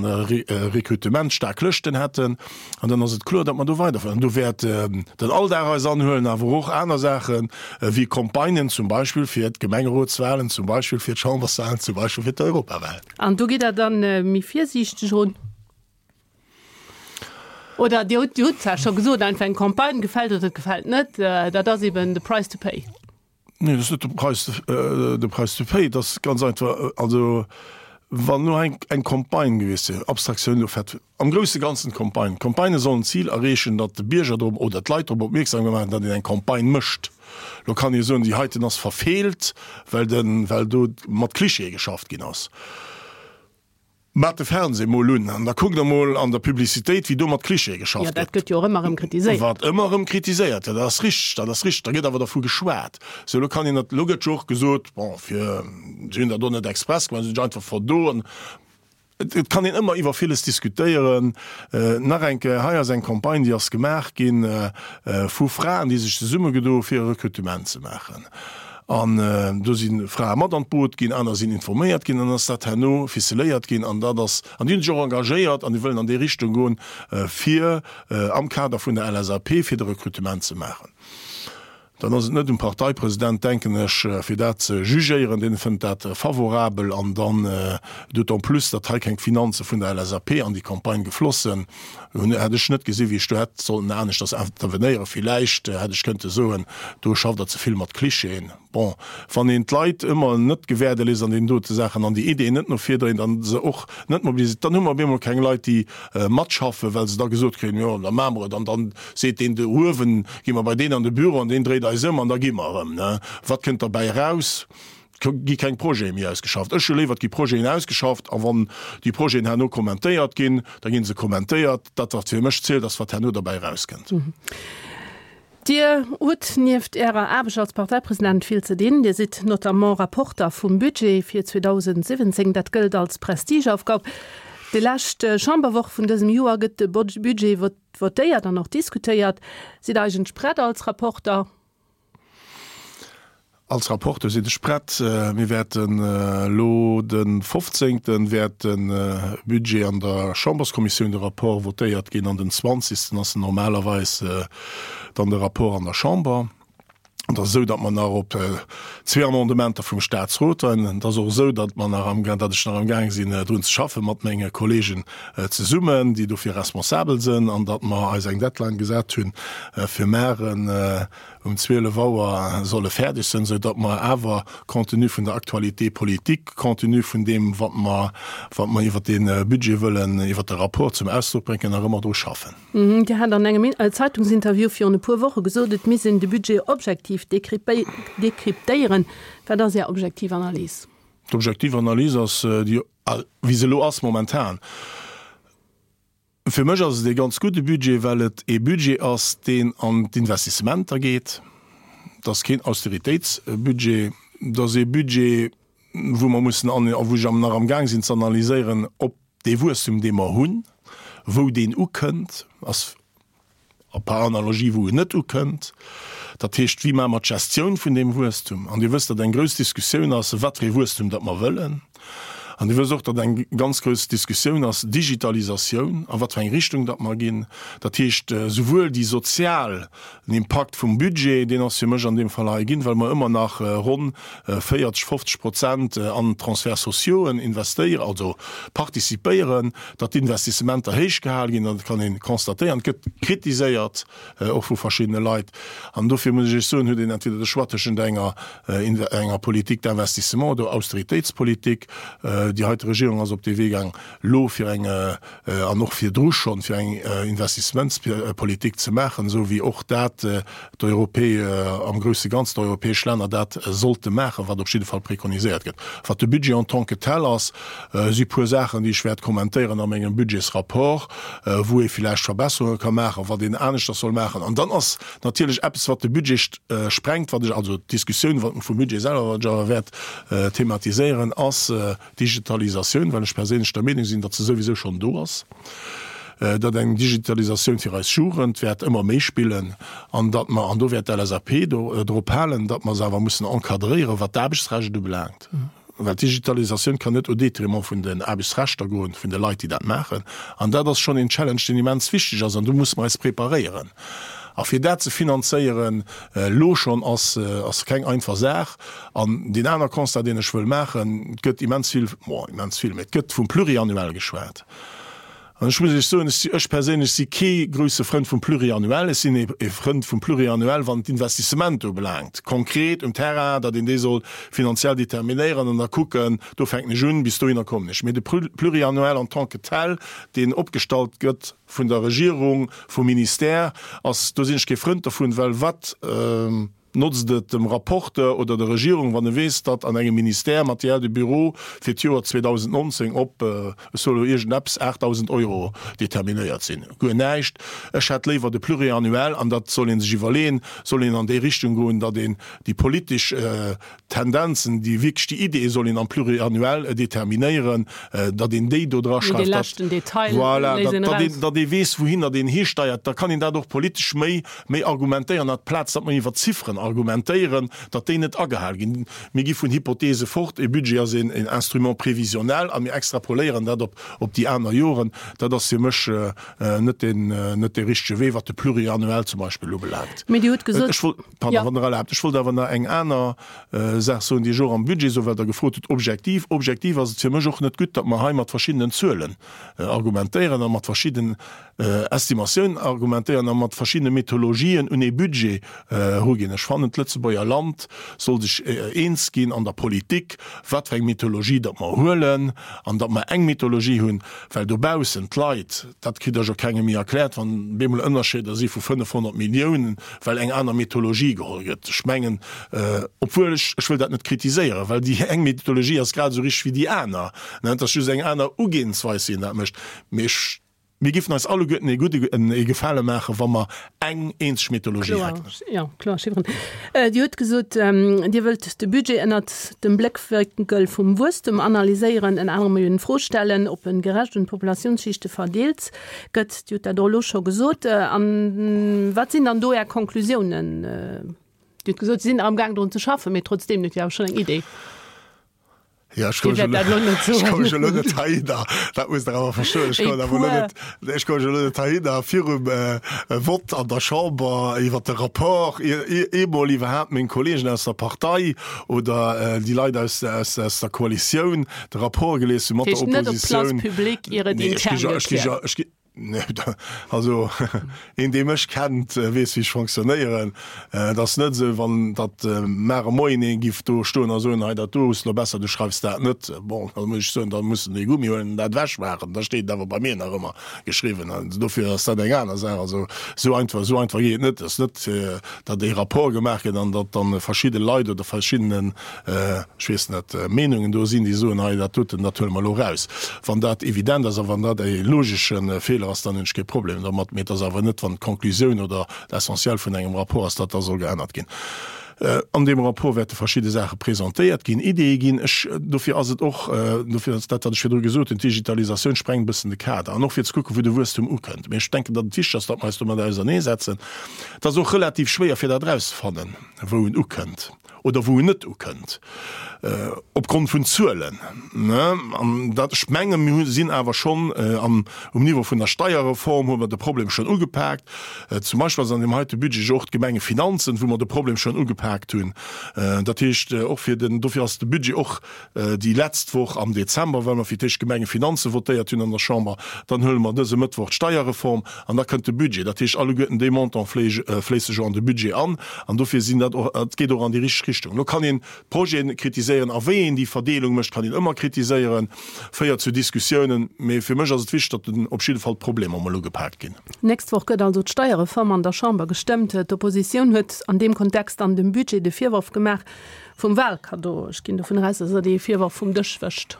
Rekrutement, staark Lëschten hätten. An dann ass et kloer, datt mer do weiderfueren. An do wäert den Alldag eis anhuelen, awer och aner Saachen, wéi Campagnen zum Beispill fir d'Gemengerotswahlen, zum Beispill fir d'Chamberswahlen, zum Beispill fir d'Europawahlen. An do gitt Der dann méi virsiichteg erun? Oder Dir hutt, Dir hutt zwar scho gesot, einfach eng Campagne gefält oder et gefält net, dat ass eben the price to pay. Nee, dat ass net de Price, de price to pay. Dat ass ganz einfach, also wann elo eng, eng Campagne gewiescht wier, Abstraktioun elo fett, am grousse Ganzen d'Campagne, d'Campagnë sollen d'Zil erreechen, datt de Bierger drop oder d'Leit drop opmierksam gemaach ginn, datt een eng Campagne mécht. Elo kann ee soen, déi heiten ass verfeelt, well den, well do mat Klischeeë geschafft ginn ass. Maat de Fernseh mol un an da kuckt der mol an der Publicitéit, wéi do mat Klischeeë geschafft gëtt. Jo, dat gëtt jo och ëmmer erëm kritiséiert. Wat ëmmer erëm kritiséiert gëtt, dat ass richteg, dat ass richteg. Da gëtt awer dervu geschwat. Sou, elo kann een dat, elo gëtt jo och gesot, bon, fir, si hunn dat och net express gemaach, si hunn sech einfach verdoen. Et kann een ëmmer iwwer villes diskutéieren. Nach eng Kéier, hei ass eng Campagne, déi ass gemaach gi vu Fraen, déi sech zesummegedo hu fir e Rekrutement ze maachen. An do si Frae mat an d'Boot ginn, aner sinn informéiert ginn, an ass dat herno ficeléiert ginn. An dat ass, an déi hunn sech och engagéiert an déi wëllen an déi Richtung goen, fir am Kader vun der LSAP, fir de Rekrutement ze maachen. Dann ass et net um Parteipresident, denken ech, fir dat ze jugéieren. Deen fënnt dat favorabel. An dann, d'autant plus, datt hei keng Finanze vun der LSAP an déi Campagne gefloss sinn, hunn, hätt ech net gesinn, wéi ech do hätt sollten aneschters intervenéieren. Villäicht hätt ech kënnte soen, do schafft Der ze vill mat Klischeeën. Bon, wann een d'Leit ëmmer net gewäerde léisst an deenen dote Saachen an déi Ideeën net no vir dréint an se och net mobiliséiert, dann hu mer op eemol keng Leit, déi matschaffen, well se da gesot kréien, jo, da maache mer et an dann seet deen do uewen, gi mer bei deen an de Büro an deen dréit eis ëm an da gi mer erëm. Wat kënnt derbäi eraus? Et gi keng Projete méi ausgeschafft. Ech hu léiwer, et gi Projeten ausgeschafft a wann déi Projeten herno kommentéiert ginn, da gi se kommentéiert. Dat, wat fir mech zielt, ass, wat herno derbäi erauskënnt. Dir hutt nieft Ärer Aarbecht als Parteipresident vill ze dinn. Dir sidd notamment Rapporter vum Budget fir zweedausendsiwwenzéng. Dat gëllt als Prestigeaufgab. Déi lescht Chamberwoch vun dësem Joer gëtt de Budget votéiert an och diskutéiert. Sidd Der eigentlech prett als Rapporter? Als Rapporteur sinn ech prett. Mir wäerten elo de fofzéngten wäert de Budget an der Chamberskommissioun, de Rapport votéiert ginn an den zwanzigsten ass normalerweis dann de Rapport an der Chamber. Et ass esou, datt mer nach op zwee Amendementer vum Statsrot warden. Et ass och esou, datt mer nach am, datt ech nach amgaang sinn drun ze schaffen mat menge Kollegen zesummen, déi dofir responsabel sinn, an datt mer eis eng Deadline gesat hunn fir maren um zwielef Auer solle fäerdeg sinn, esou datt mer awer, compte tenu vun der Actualité politique, compte tenu vun deem, wat mer, wat mer iwwert dee Budget wëllen, iwwert de Rapport zum Ausdrock bréngen, nach ëmmer dru schaffen. Dir hat an engem Zeitungsinterview virun e puer Woche gesot, et misst een de Budget objektiv dekryptéieren. Wat ass Är objektiv Analys? D'objektiv Analys ass déi, wéi se elo ass momentan. Fir mech ass et ee ganz gudde Budget, well et ee Budget ass, deen an d'Investissementer geet. Et ass keen Austeritéitsbudget. Et ass ee Budget, wou mer mussen an, a wou ech nach amgaang sinn ze analyséieren, ob dee Wuesstum, dee mer hunn, wou deen ukënnt, ass a par analogie wou en net ukënnt. Dat heescht, wéi maache mer d'Gestioun vun deem Wuesstum? An Dir wësst, datt eng grouss Diskussioun ass, wat fir ee Wuesstum datt mer wëllen. An Dir wësst och, datt eng ganz grouss Diskussioun ass, Digitalisatioun, a wat fir eng Richtung datt mer ginn. Dat heescht, souwuel déi sozial, den Impakt vum Budget, deen ass fir mech an deem Fall hei ginn, well mer ëmmer nach ronn véierzeg, fofzeg Prozent an d'Transferts sociauxen investéieren, also participéieren, datt d'Investissementer héich gehal ginn, dat kann ee constatéieren. Et gëtt kritiséiert, och vu verschiddene Leit. An dofir muss ech Iech soen, huet een entweder de Choix tëschent enger, enger Politique d'investissement oder Austeritéitspolitik. Déi heite Regierung ass op dee Wee gaang, elo fir eng, an och virdru schonn, fir eng Investissementspolitik ze maachen, esou wéi och dat d'Europä am grousse Ganzen, d'europäesch Länner dat sollte maachen, wat op jidde Fall preconiséiert gëtt. Wat de Budget en tant que tel ass, si puer Saachen, déi ech wäert kommentéieren a mengem Budgetsrapport, wou ee villäicht Verbesserunge ka maachen, wat een aneschters soll maachen. An dann ass natierlech eppes, wat de Budget sprengt, wat ech, also d'Diskussioun vum Budget selwer, wat ech awer wäert thematiséieren, ass d'Digitalisatioun, well ech perséinlech der Meenung sinn, datt se souwisou schonn do ass, datt eng Digitalisatioun fir eis Jugend wäert ëmmer méi spillen an datt mer, an do wäert d'LSAP drop halen, datt mer se awer mussen encadréieren, wat d'Aarbechtsrecht ubelaangt. Well d'Digitalisatioun kann net au détriment vun den Aarbechtsrechter goen, vun de Leit, déi dat maachen. An dat ass schonn een Challenge, deen immens wichteg ass an do musse mer eis preparéieren. A fir dat ze finanzéieren elo schonn, ass, ass keng einfach Saach. An deen aner Constat, deen ech wëll maachen, Et gëtt immens vill, bon, immens vill, mä et gëtt vum Pluriannuel geschwat. An ech muss Iech soen, ech si, ech perséinlech si kee grouse Frënd vum Pluriannuel. Ech sinn ee Frënd vum Pluriannuel, wann et d'Investissement ubelaangt, konkret um Terrain, datt een déi soll finanziell determinéieren an da kucken, do fänken ech un, bis dohinner kommen ech. Mee de Pluriannuel en tant que tel, deen opgestallt gëtt vun der Regierung, vum Ministère, ass, do sinn ech kee Frënd dovun, well wat, Notzt et dem Rapporteur oder der Regierung, wann e weess, datt an engem Ministère Matière de bureau fir d'Joer zweedausendnonzéng op, ech soe lo iergendeppes, aachtdausend Euro determinéiert sinn? Guer näischt. Ech hätt léiwer de Pluriannuel, an dat soll ee sech iwwerleeën, soll een an déi Richtung goen, datt een déi politesch Tendenzen, déi wierklech déi Ideeë soll een am Pluriannuel determinéieren, datt een déi do dra schreift, datt, voilà, datt een, datt ee weess, wouhinner deen histeiert. Da kann een dat och politesch méi, méi argumentéieren, amplaz datt mer iwwer Zifferen argumentéieren, datt déi net agehal ginn. Mir gi vun Hypothese fort, e Budget ass een Instrument prévisionnel a mir extrapoléieren dat op, op déi aner Joren. Dat ass fir mech net deen, net dee richtege Wee, wat de Pluriannuel zum Beispill ubelaangt. Mee Dir hutt gesot. Ech wollt, pardon, wann Der erlaabt, ech wollt awer nach eng aner Saach soen, déi ech och am Budget soen, well Der gefrot hutt, objektiv. Objektiv ass et fir mech och net gutt, datt mer hei mat verschiddenen Zuelen argumentéieren a mat verschidden Estimatiounen argumentéieren a mat verschiddene Methologien un ee Budget eruginn. Ech fannen, d'Lëtzebuerger Land soll sech eens ginn an der Politik, wat fir eng Methologie datt mer huelen an datt mer eng Methologie hunn, well dobaussen d'Leit, dat kritt Der jo kengem méi erkläert, wann bemol Ënnerscheeder si vu fënnefhonnert Milliounen, well eng aner Methologie geholl gëtt. Ech mengen, obwuel ech, ech wëll dat net kritiséieren, well déi eng Methologie ass grad esou richteg wéi déi aner, et ass just eng aner Ugeeënsweis, wéi een dat mécht, mee ech, mir giffen eis alleguerten ee gudde, ee Gefale maachen, wa mer eng eenzeg Methologie hätten. Kloer, jo, kloer Chifferen. Dir hutt gesot, Dir wëllt de Budget ënnert dem Bléckwénkel vum Wuesstem analyséieren, ënner anerem jo d'Fro stellen, ob e gerecht un d'Populatiounsschichte verdeelt gëtt. Dir hutt dat och elo scho gesot. A wat sinn dann do Är Konklusiounen? Dir hutt gesot, Sie sinn amgaang drun ze schaffen, mee trotzdeem, Dir hutt jo awer schonn eng Idee. Ja, ech komme jo elo net heihinner, dat musst Der awer verstoen, ech kommen awer elo net, ech komme jo elo net heihinner virum Vott an der Chamber iwwert de Rapport eemol iwwerhaapt meng Kollegen aus der Partei oder déi Leit aus, aus, aus der Koalitioun de Rapport gelies hu mat der Oppositioun. Dat heescht net op d'Place publique, ier et intern gekläert gëtt? Also een dee mech kennt, weess wéi ech fonctionnéieren. Et ass net esou, wann datt mar e Moien ee giff do stoen a soen, hei dat do hues de elo besser, du schreifs dat net. Bon, da muss ech soen, da muss en dee Gummi huelen an dat ewechmaachen. Da steet et awer bei mir nach ëmmer geschriwwen. An dofir ass dat eng aner Saach. Also esou einfach, esou einfach geet et net. Et ass net, datt ee Rapport gemaach gëtt an datt dann verschidde Leit oder verschiddene ech weess net, Meenungen do sinn, déi soen, hei dat doten, dat huele mer elo eraus. Wann dat evident ass a wann dat e logesche Feeler ass, dann hunn ech kee Problem domat. Mee et ass awer net, wann d'Conclusioun oder d'Essentiel vun engem Rapport ass, datt da soll geännert ginn. An deem Rapport wäerte verschidde Saache presentéiert ginn, Ideeë ginn. Ech, dofir ass et och, dofir ass dat, wat ech virdru gesot hunn, d'Digitalisatioun sprengt e bëssen de Kader. An och fir ze kucken, wou de Wuesstum ukënnt. Mee ech denken, datt et wichteg ass, datt mer eis domat auserneesetzen. Et ass och relativ schwéier, fir dat erauszefannen, wou en ukënnt oder wou en net ukënnt, opgrond vun Zuelen. An dat, ech mengen, mir sinn awer schonn am, um Niveau vun der Steierreform hu mer de Problem schonn ugepaakt. Zum Beispill ass an deem heite Budget jo och d'Gemengefinanzen, wou mer de Problem schonn ugepaakt hunn. Dat heescht, och fir den, dofir ass de Budget och déi letzt Woch am Dezember, well mer fir d'éischt d'Gemengefinanze votéiert hunn an der Chamber, dann huele mer dëse Mëttwoch d'Steierreform an da kënnt de Budget. Dat heescht, alleguerten déi Montant fléisse jo an de Budget an an dofir sinn dat och, et geet och an déi richteg Richtung. Elo kann een d'Projeten kritiséieren a wéi een déi Verdeelung mécht, kann een ëmmer kritiséieren, féiert zu Diskussiounen, mee fir mech ass et wichteg, datt op jidde Fall d'Problemer emol ugepaakt ginn. D'nächst Woch gëtt also d'Steierreform an der Chamber gestëmmt. D'Oppositioun huet an deem Kontext an dem Budget de Virworf gemaach vum Wahlkaddo. Ech ginn dovun aus, datt Der dee Virworf vum Dësch wëscht.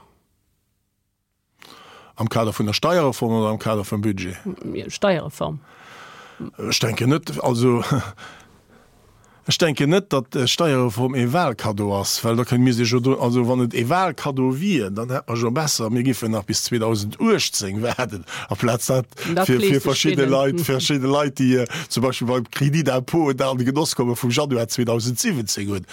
Am Kader vun der Steierreform oder am Kader vum Budget? Steierreform. Ech denken net, also ech denken net, datt d'Steierreform ee Wahlkaddo ass, well da kënne mir sech jo do, also wann et ee Wahlkaddo wier, dann hätt mer jo besser, mir géifen nach bis zweedausenduechtzéng waarden, amplaz dat fir fir verschidde Leit, verschidde Leit, déi zum Beispill beim Crédit d'impôt da an de Genoss komme vum Januar zweedausensiwwenzéng hunn.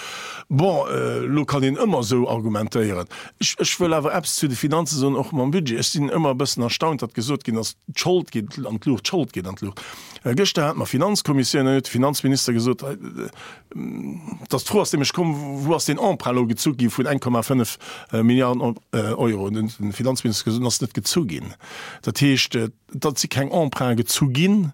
Bon, elo kann een ëmmer esou argumentéieren. Ech, ech wëll awer eppes zu de Finanze soen, och mam Budget. Ech sinn ëmmer e bëssen erstaunt, datt gesot ginn ass, d'Schold geet an d'Luucht, d'Schold geet an d'Luucht. Gëschter hate mer Finanzkommissioun, an huet de Finanzminister gesot, datt d'Fro ass nämlech komm, wou ass deen Emprunt elo gezu gi vun eng Komma fënnef Milliarden Euro? An huet de Finanzminister gesot, en ass net gezu ginn. Dat heescht, datt si keng Emprunte gezu ginn.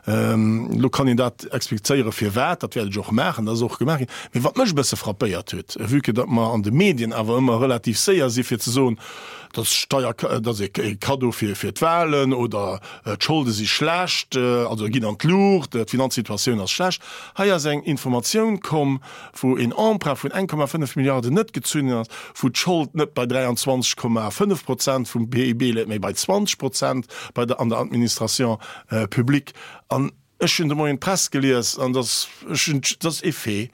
Elo kann een dat explizéieren, firwat, dat wäert ech och maachen, dat ass och gemaach ginn. Mee wat mech e bësse frappéiert huet, vue que datt mer an de Medien awer ëmmer relativ séier si fir ze soen, datt Steier, dat ass e Kaddo fir fir d'Wahlen oder d'Scholde si schlecht, also ginn an d'Luucht, d'Finanzsituatioun ass schlecht. Hei ass eng Informatioun komm, wou een Emprunt vun eng Komma fënnef Milliarden net gezunn ass, wou d'Schold net bei dräianzwanzeg Komma fënnef Prozent vum P I B läit, mee bei zwanzeg Prozent bei der an der Administration publique. An ech hunn de Moien d'Press gelies an dass ech hunn, dat ass ee Fait,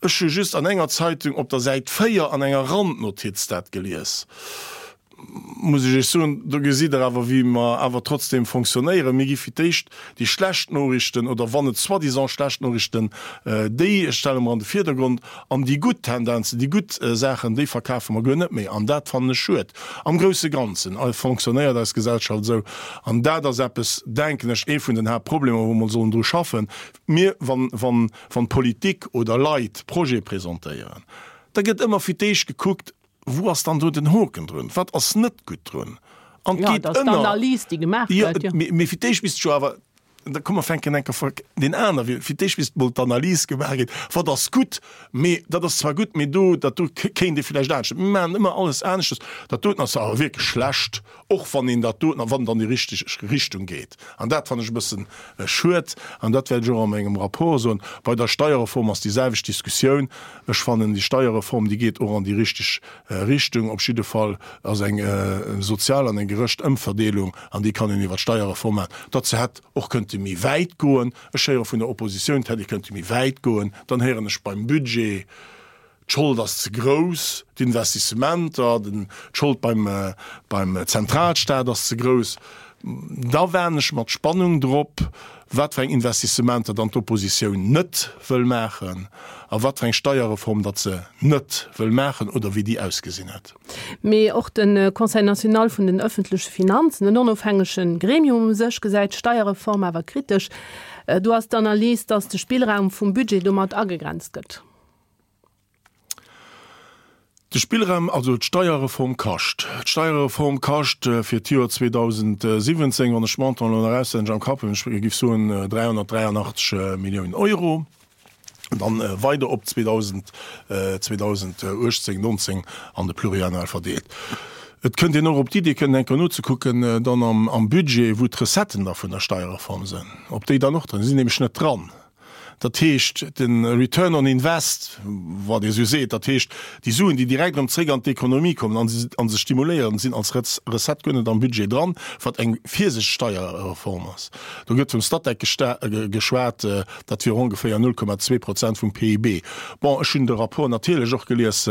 ech hu just an enger Zeitung op der Säit véier an enger Randnotiz dat gelies, muss ech Iech soen, do gesitt Der awer, wéi mer awer trotzdem fonctionnéieren. Mir gi fir d'éischt déi schlecht Noriichten, oder wann et soi-disant schlecht Noriichten, déi stelle mer an de Vierdergrond, an déi gutt Tendenzen, déi gutt Saachen, déi verkafe mer guer net méi. An dat fannen ech schued. Am grousse Ganzen fonctionnéiert eis Gesellschaft esou. An dat ass eppes, denken ech, ee vun den Haaptproblemer, wou mer sollen dru schaffen. Mir, wann, wann, wann d'Politik oder Leit Projete presentéieren, da gëtt ëmmer fir d'éischt gekuckt, Wou ass dann do den Hoken drun? Wat ass net gutt drun? An et geet ënner. D'Analys, déi gemaach gëtt, jo. Mee fir d'éischt misst jo awer, da komm mer fänken eng Kéier deen aner Wee, fir d'éischt misst mol d'Analys gemaach ginn, wat ass gutt, mee dat ass zwar gutt, mee do, dat do kéint ee vläicht anescht. Mir maachen ëmmer alles aneschtes. Dat doten ass awer wierklech schlecht, och wann een dat doten, wann et an déi richteg Richtung geet. An dat fannen ech e bëssen schued an dat wäert ech och a mengem Rapport soen. Bei der Steierreform ass déi selwecht Diskussioun. Ech fannen, déi Steierreform, déi geet och an déi richteg Richtung. Op jidde Fall ass eng sozial an eng gerecht Ëmverdeelung, an déi kann een iwwer d'Steierreform maachen. Datt se hätt och kënnte méi wäit goen, ech héiere vun der Oppositioun, et hätt ee kënnte méi wäit goen. Dann héieren ech beim Budget, D'Schold ass ze grouss, d'Investissementer, d'Schold beim Zentralstaat ass ze grouss. Da waarden ech mat Spannung drop, wat fir eng Investissementer dann d'Oppositioun net wëll maachen a wat fir eng Steierreform datt se net wëll maachen oder wéi déi ausgesinn hätt. Mee och de Conseil national vun den ëffentleche Finanzen, en onofhängege Gremium u sech, gesäit d'Steierreform awer kritesch. Do ass d'Analys, datt de Spillraum vum Budget domat agegrenzt gëtt. De Spillraum, also d'Steierreform kascht. D'Steierreform kascht fir d'Joer zweedausendsiwwenzéng, wann ech d'Montanten elo nach auswenneg am Kapp hunn, ech géif soen dräihonnertdräianachtzeg Milliounen Euro, dann weider op zweedausenduechtzéng, nonzéng an de Pluriannuel verdeelt. Et kënnt een och op d'Idee kënnen eng Kéier nozekucken dann am Budget, wou d'Recetten da vun der Steierreform sinn, ob déi dann och dran sinn. Si sinn nämlech net dran. Dat heescht, de Return on Invest, wat ee sou seet, dat heescht, déi Suen, déi direkt erëm zréck an d'Ekonomie kommen a se stimuléieren, sinn als Recette guer net am Budget dran, wat eng virsichteg Steierreform ass. Do gëtt vum Statec geschwat, dat wier ongeféier null Komma zwee Prozent vum P I B. Bon, ech hunn de Rapport natierlech och gelies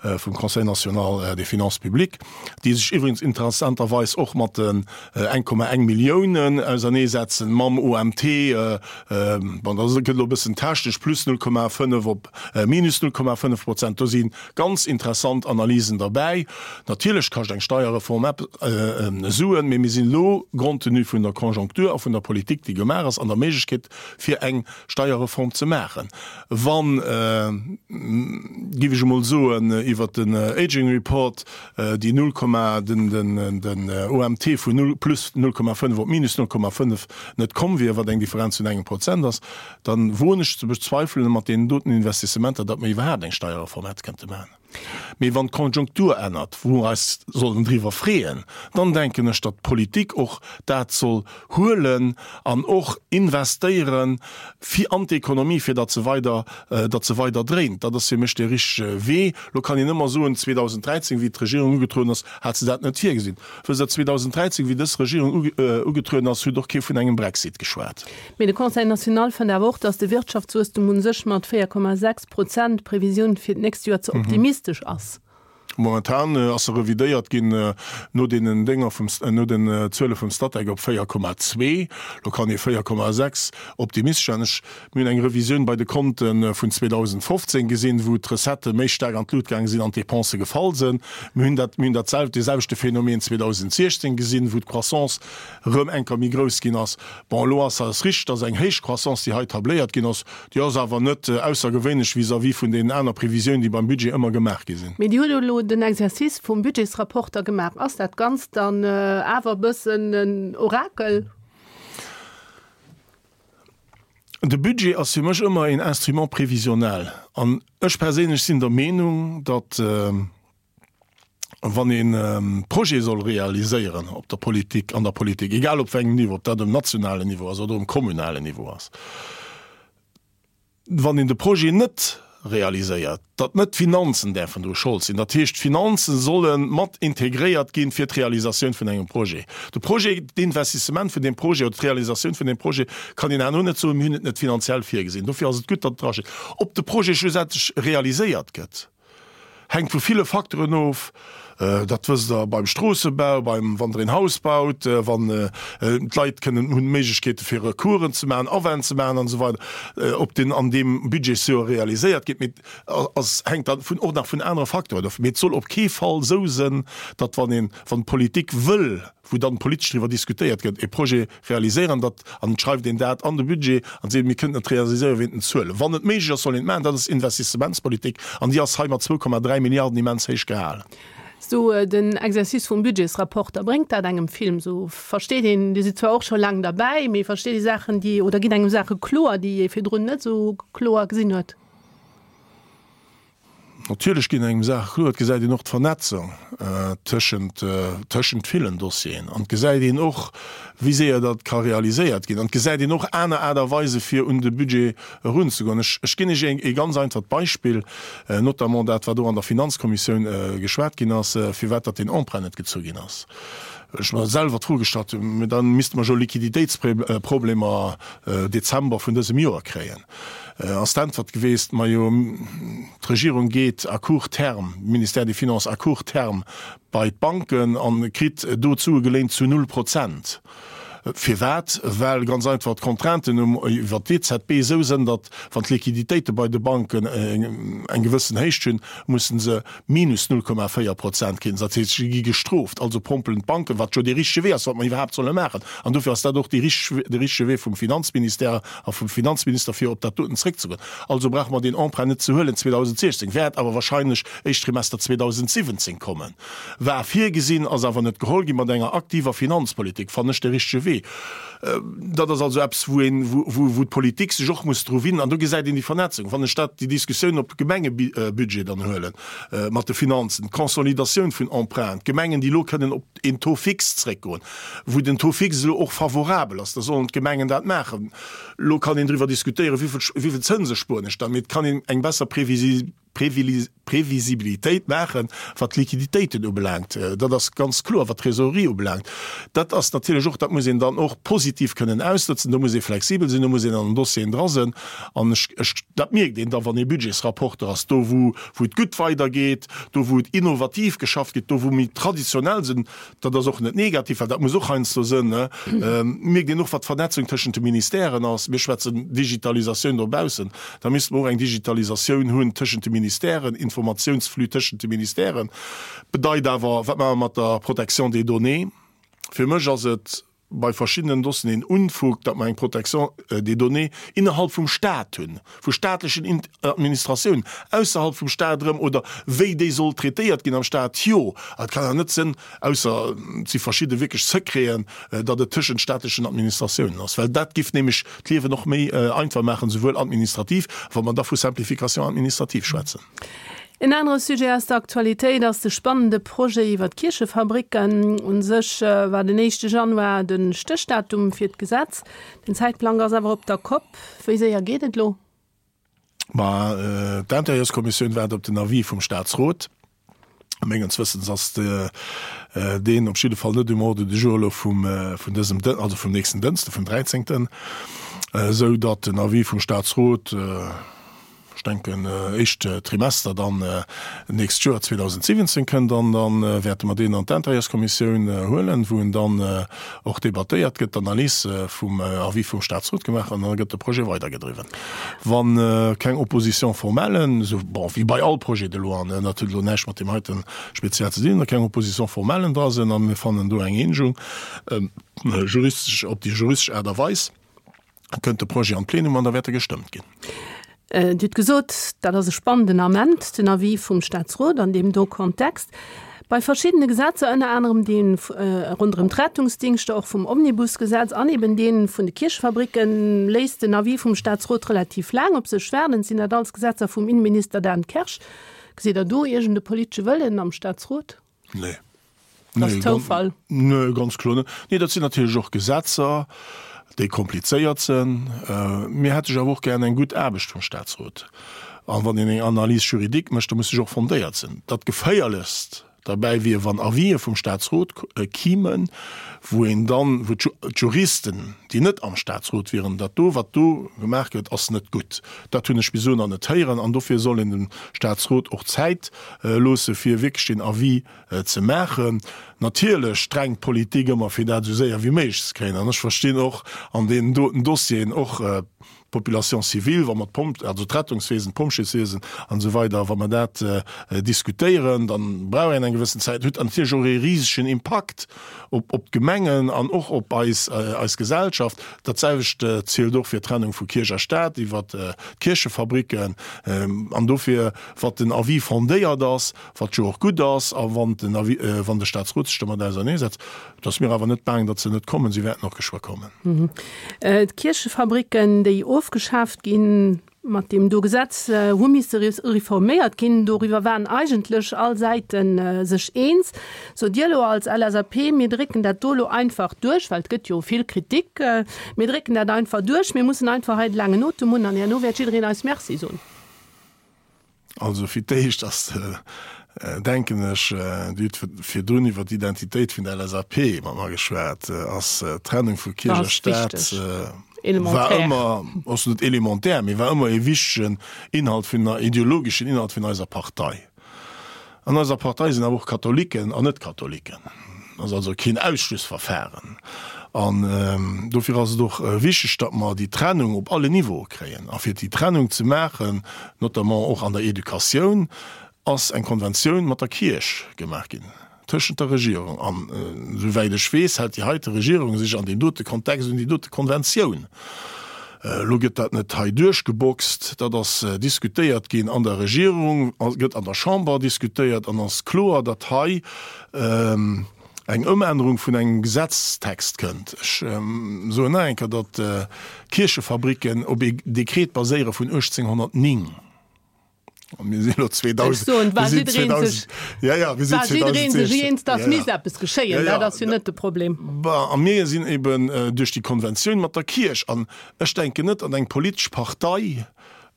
vum Conseil national des finances publiques, déi sech iwwregens interessanterweis och mat den eng Komma eng Milliounen auserneesetzen, mam O M T, bon, dat gëtt elo e bëssen technesch, plus null Komma fënnef op minus null Komma fënnef Prozent. Do si ganz interessant Analysen derbäi. Natierlech kascht eng Steierreform Suen, mee mir sinn elo, compte tenu vun der Conjoncture a vun der Politik, déi gemaach ass, an der Méiglechkeet, fir eng Steierreform ze maachen. Wann, géif ech emol soen, iwwert den Aging Report déi null Komma, den, den, den O M T vun null, plus null Komma fënnef op minus null Komma fënnef net komm wier, wat eng Differenz vun engem Prozent ass, dann woen ech ze bezweifelen mat deenen doten Investissementer, datt mer iwwerhaapt eng Steierreform hätte kënnte maachen. Mee wann d'Konjunktur ännert, wou mer eis sollen driwwer freeën, dann denken ech, datt d'Politik och dat soll huelen an och investéieren fir an d'Ekonomie, fir datt se weider, datt se weider dréint. Dat ass fir mech dee richtege Wee. Lo kann een ëmmer soen, zweedausenddräizéng, wéi d'Regierung ugetrueden ass, hat se dat net virgesinn. Wësst Der, zweedausenddräizéng, wéi dës Regierung ugetrueden ass, huet och kee vun engem Brexit geschwat. Mee de Conseil national fënnt awer och, datt de Wirtschaftswuesstum u sech mat véier Komma sechs Prozent Previsioun fir d'nächst Joer ze optimistesch ass. Momentan ass se revidéiert ginn no deenen Dénger vum, no den Zuele vum Statec op véier Komma zwee. Lo kann ee véier Komma sechs optimistesch sein. Ech, mir hunn eng Revisioun bei de Konte vun zweedausendfofzéng gesinn, wou d'Recettë méi staark an d'Lut gaange sinn an d'Dépensë gefall sinn. Mir hunn dat, mir hunn dat sel-, dee selwechte Phänomen zweedausendsechzéng gesinn, wou d'Croissance erëm eng Kéier méi grouss ginn ass. Bon, elo ass ass richteg, dass eng héich Croissance, déi hei tabléiert ginn ass, déi ass awer net aussergewéinlech vis-à-vis vun deenen aner Previsiounen, déi beim Budget ëmmer gemaach gi sinn. Mee Dir hutt elo den Exercice vum Budgetsrapporter gemaach. Ass dat Ganzt dann awer e bëssen en Orakel? De Budget ass fir mech ëmmer een Instrument prévisionnel. An ech perséinlech sinn der Meenung, datt wann een Projet soll realiséieren op der Politik, an der Politik, egal op wéi engem Niveau, ob dat um nationalen Niveau ass oder um kommunalen Niveau ass, wann een de Projet net realiséiert, datt net d'Finanzen däerfen dru Schold sinn. Dat heescht, d'Finanzen solle mat integréiert ginn fir d'Realisatioun vun engem Projet. De Projet, d'Investissement vun deem Projet oder d'Realisatioun vun deem Projet kann een herno net soen, mir hunn et net finanziell virgesinn. Dofir ass et gutt, datt et drasteet. Ob de Projet schlussendlech realiséiert gëtt, hänkt vu ville Facteuren of. Dat wësst Der beim Stroossebau, beim, wann Der een Haus baut, wann d'Leit kënnen hunn d'Méiglechkeete fir Recoursen ze maachen, Awänn ze maachen an esou weider, ob deen an deem Budgetsjoer realiséiert gëtt, mee ass, hänkt dann vun, och nach vun anere Facteuren of. Mee et soll op kee Fall esou sinn, datt wann een, wann d'Politik wëll, wou dann politesch driwwer diskutéiert gëtt, e Projet realiséieren, datt, an et schreift een dat an de Budget an seet, mir kënnen et realiséieren wéint den Zuelen. Wann et méiglech ass, soll een et maachen. Dat ass Investissementspolitik an déi ass hei mat zwou Komma dräi Milliarden immens héich gehalen. Sou den Exercice vum Budgetsrapporter, bréngt dat engem Film? Sou versteet een, Dir sidd zwar och scho laang derbäi, mee versteet ee Saachen, déi, oder ginn engem Saache kloer, déi ee virdrun net sou kloer gesinn huet? Natierlech ginn engem Saache kloer. Et gesäit een och d'Vernetzung tëschent, tëschent villen Dossieren. An et gesäit een och, wéi séier dat ka realiséiert ginn. An et gesäit een och aner Aart a Weise fir un de Budget erunzegoen. Ech, ech ginn Iech e ganz einfacht Beispill, notamment dat, wat och an der Finanzkommissioun geschwat ginn ass, firwat datt deen Emprunt net gezu ginn ass. Ech mer selwer d'Fro gestallt hunn, mä da misste mer jo Liquiditéitsproblemer Dezember vun dësem Joer kréien. Ass d'Äntwert geweest, majo, d'Regierung geet à court terme, Ministère des Finances à court terme bei d'Banken an kritt do d'Sue geléint zu null Prozent. Firwat? Well ganz einfach d'Contrainten um, iwwer d'E Z B esou sinn, datt wann d'Liquiditéite bei de Banken eng gewëssen Héicht hunn, mussen se minus null Komma véier Prozent kréien. Dat heescht, si gi gestrooft. Also pompelen d'Banken, wat jo dee richtege Wee ass, wat mer iwwerhaapt solle maachen. An dofir ass dat och dee richtege, de richtege Wee vum Finanzministère a vum Finanzminister, fir op dat doten zréckzegoen. Also brauche mer deen Emprunt net ze huelen zweedausendsechzéng, wäert awer wahrscheinlech éischt Trimester zweedausentsiwwenzéng kommen. War virgesinn, ass awer net geholl ginn. Mat enger aktiver Finanzpolitik fannen ech de richtege Wee. Budget. Dat ass also eppes, wou een, wou, wou d'Politik sech och muss dru winnen. An do gesäit een déi Vernetzung. Wann ech dat, déi Diskussioun op Gemengebudget dann huelen, mat de Finanzen, d'Consolidatioun vun Emprunten, d'Gemengen, déi elo kënnen op een Taux fixe zréckgoen, wou den Taux fixe elo och favorabel ass, da sollen d'Gemengen dat maachen. Elo kann een driwwer diskutéieren, wéi vill, wéi vill Zënse spueren ech dann, mee et kann een eng besser Previsibilitéit maachen, wat d'Liquiditéiten ubelaangt. Dat ass ganz kloer, wat d'Trésorerie ubelaangt. Dat ass natierlech och, dat muss een dann och positiv kënnen ausnutzen. Do muss ee flexibel sinn, do muss een an den Dossieren dra sinn. An ech, ech, dat mierkt een da, wann ee Budgetsrapporter ass, do wou, wou et gutt weidergeet, do wou et innovativ geschafft gëtt, do wou méi traditionell sinn, dat ass och net negativ, well dat muss och heiansdo sinn, mierkt een och, wat d'Vernetzung tëschent de Ministèren ass. Mir schwätzen Digitalisatioun dobaussen, da misste mer och eng Digitalisatioun hunn tëschent de Ministèren, Informatiounsflux tëschent de Ministèren. Bedeit awer, wat maache mer mat der Protection des données? Fir mech ass et bei verschiddenen Dossieren een Unfug, datt mer eng Protection des données innerhalb vum Stat hunn, vu staatlechen Administratiounen, ausserhalb vum Stat erëm, oder wéi déi soll traitéiert ginn am Stat, jo. Et kann awer net sinn, ausser et si verschidde wierklech Secreten, datt et tëschent staatlechen Administratiounen ass, well dat giff nämlech d'Liewen och méi einfach maachen, souwuel administrativ, wa mer da vu Simplification administrative schwätzen. En anere Sujet aus der Aktualitéit ass de spannende Projet iwwer d'Kierchefabricken. U sech war den éischte Januar de Stéchdatum fir d'Gesetz. Den Zäitplang ass awer op der Kopp. Wéi séier geet et elo? Ma d'Intérieurskommissioun waart op den Avis vum Staatsrot. Mengens Wëssens ass deen op jidde Fall net um Ordre du jour elo vum dësem, also vum nächsten Dënschde, vum dräizéngten, esou datt den Avis vum Staatsrot, ech denken, éischt Trimester dann d'nächst Joer zweedausendsiwwenzéng kënnt an da wäerte mer deen an d'Intérieurskommissioun huelen, wou en dann och debattéiert gëtt, d'Analys vum Avis vum Statsrot gemaach an da gëtt de Projet weidergedriwwen. Wa keng Opposition formelle, esou, bon, wéi bei all Projet de loi, dat huet elo näischt mat deem heite speziell ze dinn, keng Opposition formellen dra sinn a mir fannen do eng Eenegung juristesch, op déi juristesch Aart a Weis, kënnt de Projet an d'Plenum an da wäert e gestëmmt ginn. Dir hutt gesot, dat ass e spannenden Ament, den Avis vum Statsrot an deem do Kontext. Bei verschiddene Gesetzer, ënner anerem dee ronderëm d'Rettungsdingschter, och vum Omnibusgesetz an eben dee vun de Kierchefabricken, léisst den Avis vum Statsrot relativ laang op sech waarden. Sinn dat alles Gesetzer vum Innenminister Dan Kersch? Gesitt Der do iergend e politesche Wëllen am Statsrot? Nee. Dat ass Zoufall? Nee, ganz kloer net. Nee, dat sinn natierlech och Gesetzer, déi komplizéiert sinn. Mir hätte jo awer och gären eng gutt Aarbecht vum Statsrot. A wann een eng Analyse juridique mécht, da muss se jo och fondéiert sinn. Dat Geféierlechst derbäi wier, wann Avisë vum Statsrot kimen, wou een dann, wou d'Juristen, déi net am Statsrot wieren, dat do, wat do gemaach gëtt, ass net gutt. Dat hunn ech bis elo nach net héieren. An dofir soll een dem Statsrot och Zäit loosse fir wierklech deen Avis ze maachen. Natierlech drängt d'Politik ëmmer, fir dat esou séier wéi méiglech ze kréien. An ech verstinn och an deenen doten Dossieren och d'Population civile, wa mer d'Pomp, also d'Rettungswesen, d'Pompjeeswiesen an esou weider, wa mer dat diskutéieren, da brauch een eng gewëssen Zäit. Huet natierlech och ee risegen Impakt op op d'Gemengen an och op eis eis Gesellschaft. Dat selwecht zielt och fir d'Trennung vu Kierch a Staat iwwert d'Kierchefabricken. An dofir, wat den Avis fondéiert ass, wat jo och gutt ass, a wann den Avis, wann de Staatsrot sech domat auserneesetzt, et ass mir awer net baang, datt se net kommen, si wäerten och geschwë kommen. D'Kierchefabricken, déi ofgeschaaft ginn mat deem do Gesetz, hu misse reforméiert ginn. Doriwwer waren eigentlech all Säite sech eens. Sot Dir elo als L S A P, mir drécken dat do elo einfach duerch, well et gëtt jo vill Kritik, mir drécken dat einfach duerch, mir mussen einfach hei de laangen Otem hunn an herno wäert jiddereen eis Merci soen? Also fir d'éischt ass, denken ech, Dir hutt virdrun iwwer d'Identitéit vun der L S A P mat mer geschwat, ass d'Trennung vu Kierch a Staat war ëmmer, ass net élémentaire, mee war ëmmer e wichtegen Inhalt vun, ideologeschen Inhalt vun eiser Partei. An eiser Partei sinn awer och Katholiken an Net-Katholiken. Ass also keen Ausschlussverfahren. An dofir ass et och wichteg, datt mer déi Trennung op alle Niveaue kréien. A fir déi Trennung ze maachen, notamment och an der Educatioun, ass eng Konventioun mat der Kierch gemaach ginn, tëschent der Regierung. An esouwäit ech weess, hält déi heite Regierung sech an deem dote Kontext un déi dote Konventioun. Elo gëtt dat net hei duerchgeboxt, dat ass diskutéiert ginn an der Regierung, gëtt an der Chamber diskutéiert an ass kloer, datt hei eng Ëmännerung vun engem Gesetztext kënnt. Ech soen nach eng Kéier, datt d'Kierchefabricken op ee Dekret baséiere vun uechtzénghonnertnéng. A mir sinn elo Ech soen, war jiddereen sech, war jiddereen sech eens, datt misst eppes geschéien. Dat ass jo net de Problem. Bon, a mir sinn eben duerch déi Konventioun mat der Kierch, an ech denken net, datt eng politesch Partei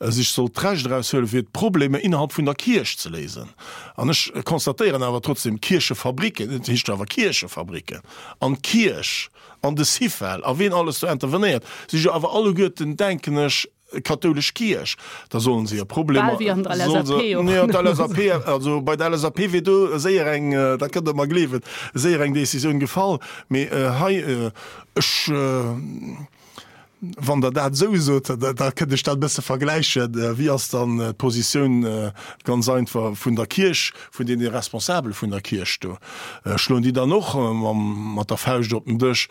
sech soll d'Recht eraushuelen, fir d'Problemer innerhalb vun der Kierch ze léisen. An ech constatéieren awer trotzdem, d'Kierchefabricken, et heescht jo awer Kierchefabricken, an d'Kierch an de Syfel a ween alles do intervenéiert, si jo awer alleguerten, denken ech, kathoulesch Kierch. Da sollen se hir Problemer, Bal wéi an der solle se, L S A P och. Jo, d'L S A P, also bei der L S A P wier do séier eng, dat kënnt Der mer gleewen, séier eng Décisioun gefall. Mee hei, ech, Wann Der dat esou sot, da kënnt ech dat e bësse vergläichen. Wéi ass dann d'Positioun ganz einfach vun der Kierch, vun deene Responsabele vun der Kierch do? Schloen déi dann och mat der Fauscht op den Dësch?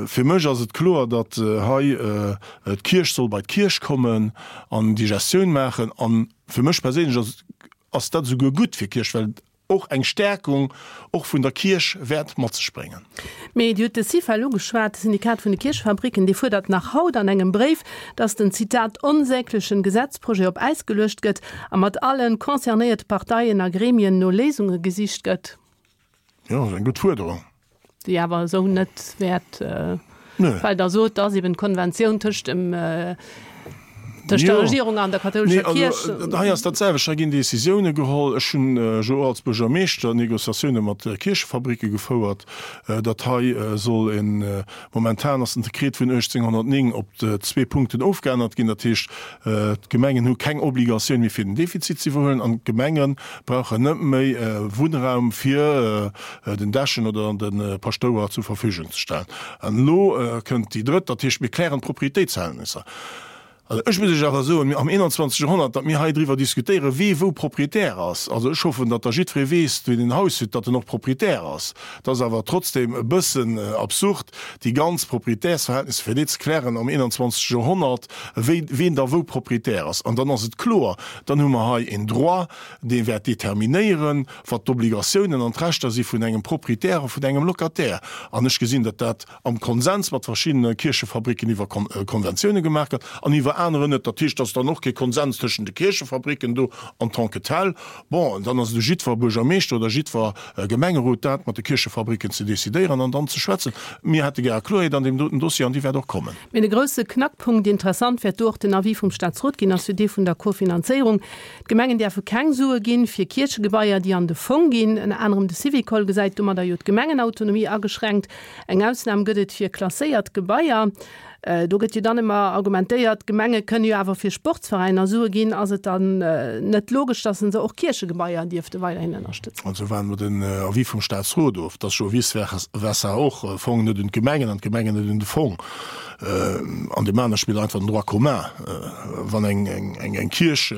Fir mech ass et kloer, datt hei d'Kierch soll bei d'Kierch kommen an déi Gestioun maachen. A fir mech perséinlech ass dat esouguer gutt fir d'Kierch, well och eng Stärkung och vun der Kierch wäert mat sech bréngen. Mee Dir hutt de Syfel ugeschwat, de Syndikat vun de Kierchefabricken, dee fuerdert nach haut an engem Bréif, datt den, Zitat, onsäglechen Gesetzprojet op Äis geluecht gëtt a mat allen concernéierte Parteien a Gremien no Léisunge gesicht gëtt. Jo, ass eng gutt Fuerderung. Déi awer esou net wäert, well Der sot, dass eben d'Konventioun tëscht dem, tëscht der Regierung an der kathoulescher Kierch. Nee, also hei ass dat selwecht. Hei ginn Décisioune geholl. Ech hunn jo och als Buergermeeschter Négociatioune mat Kierchefabricke gefouert, datt hei soll en, momentan ass den Dekret vun uechtzénghonnertnéng op zwee Punkten ofgeännert ginn. Dat heescht, d'Gemengen hu keng Obligatioun méi fir den Defizit ze iwwerhuelen an d'Gemenge brauchen net méi Wunnraum fir den Dechen oder de Paschtouer zur Verfügung ze stellen. An elo kënnt déi drëtt, dat heescht, mir klären d'Propriétéitsverhältnisser. Also ech muss Iech awer soen, mir am einundzwanzegste. Joerhonnert, datt mir hei driwwer diskutéieren, wee wou Propriétaire ass, also ech hoffen, datt da jiddweree weess, deen en Haus huet, datt en och Propriétaire ass. Et ass awer trotzdem e bëssen absurd, déi ganz Propriétairsverhältnisser fir déi ze klären am einundzwanzegste. Joerhonnert, wéi ween da wou Propriétaire ass. An dann ass et kloer, dann hu mer hei en Droit, dee wäert determinéieren, wat d'Obligatiounen an d'Rechter si vun engem Propriétaire a vun engem Locataire. An ech gesinn, datt dat am Konsens mat verschiddene Kierchefabricken iwwer Konventioune gemaach gëtt an iwwer aneren net. Dat heescht, et ass dann och kee Konsens tëschent de Kierchefabricken do en tant que tel. Bon, dann ass et u jiddwer Buergermeeschter oder jiddwer Gemengerot, dat mat de Kierchefabricken ze decidéieren an dann ze schwätzen. Mir hätte gär Kloerheet an deem doten Dossier an déi wäert och kommen. Mee de grousse Knackpunkt, interessant wäert do och den Avis vum Staatsrot ginn, ass jo dee vun der Kofinanzéierung. D'Gemengen däerfe keng Sue ginn fir Kierchegebaier, déi an de Fong ginn. Ënner anerem de Syvicol gesäit domadder jo d'Gemengenautonomie ageschränkt. Eng Ausnam gëtt et fir klasséiert Gebaier. Do gëtt jo dann ëmmer argumentéiert, d'Gemenge kënne jo awer fir Sportsveräiner Sue ginn. Ass et dann net logesch, datt se och Kierchegebaier dierfte weiderhin ënnerstëtzen? Also waarde mer den Avis vum Staatsrot of. Et ass jo vice versa och, Fong net un d'Gemengen an d'Gemengen net un de Fong. An deem anere spillt einfach den Droit commun. Wann eng Kierch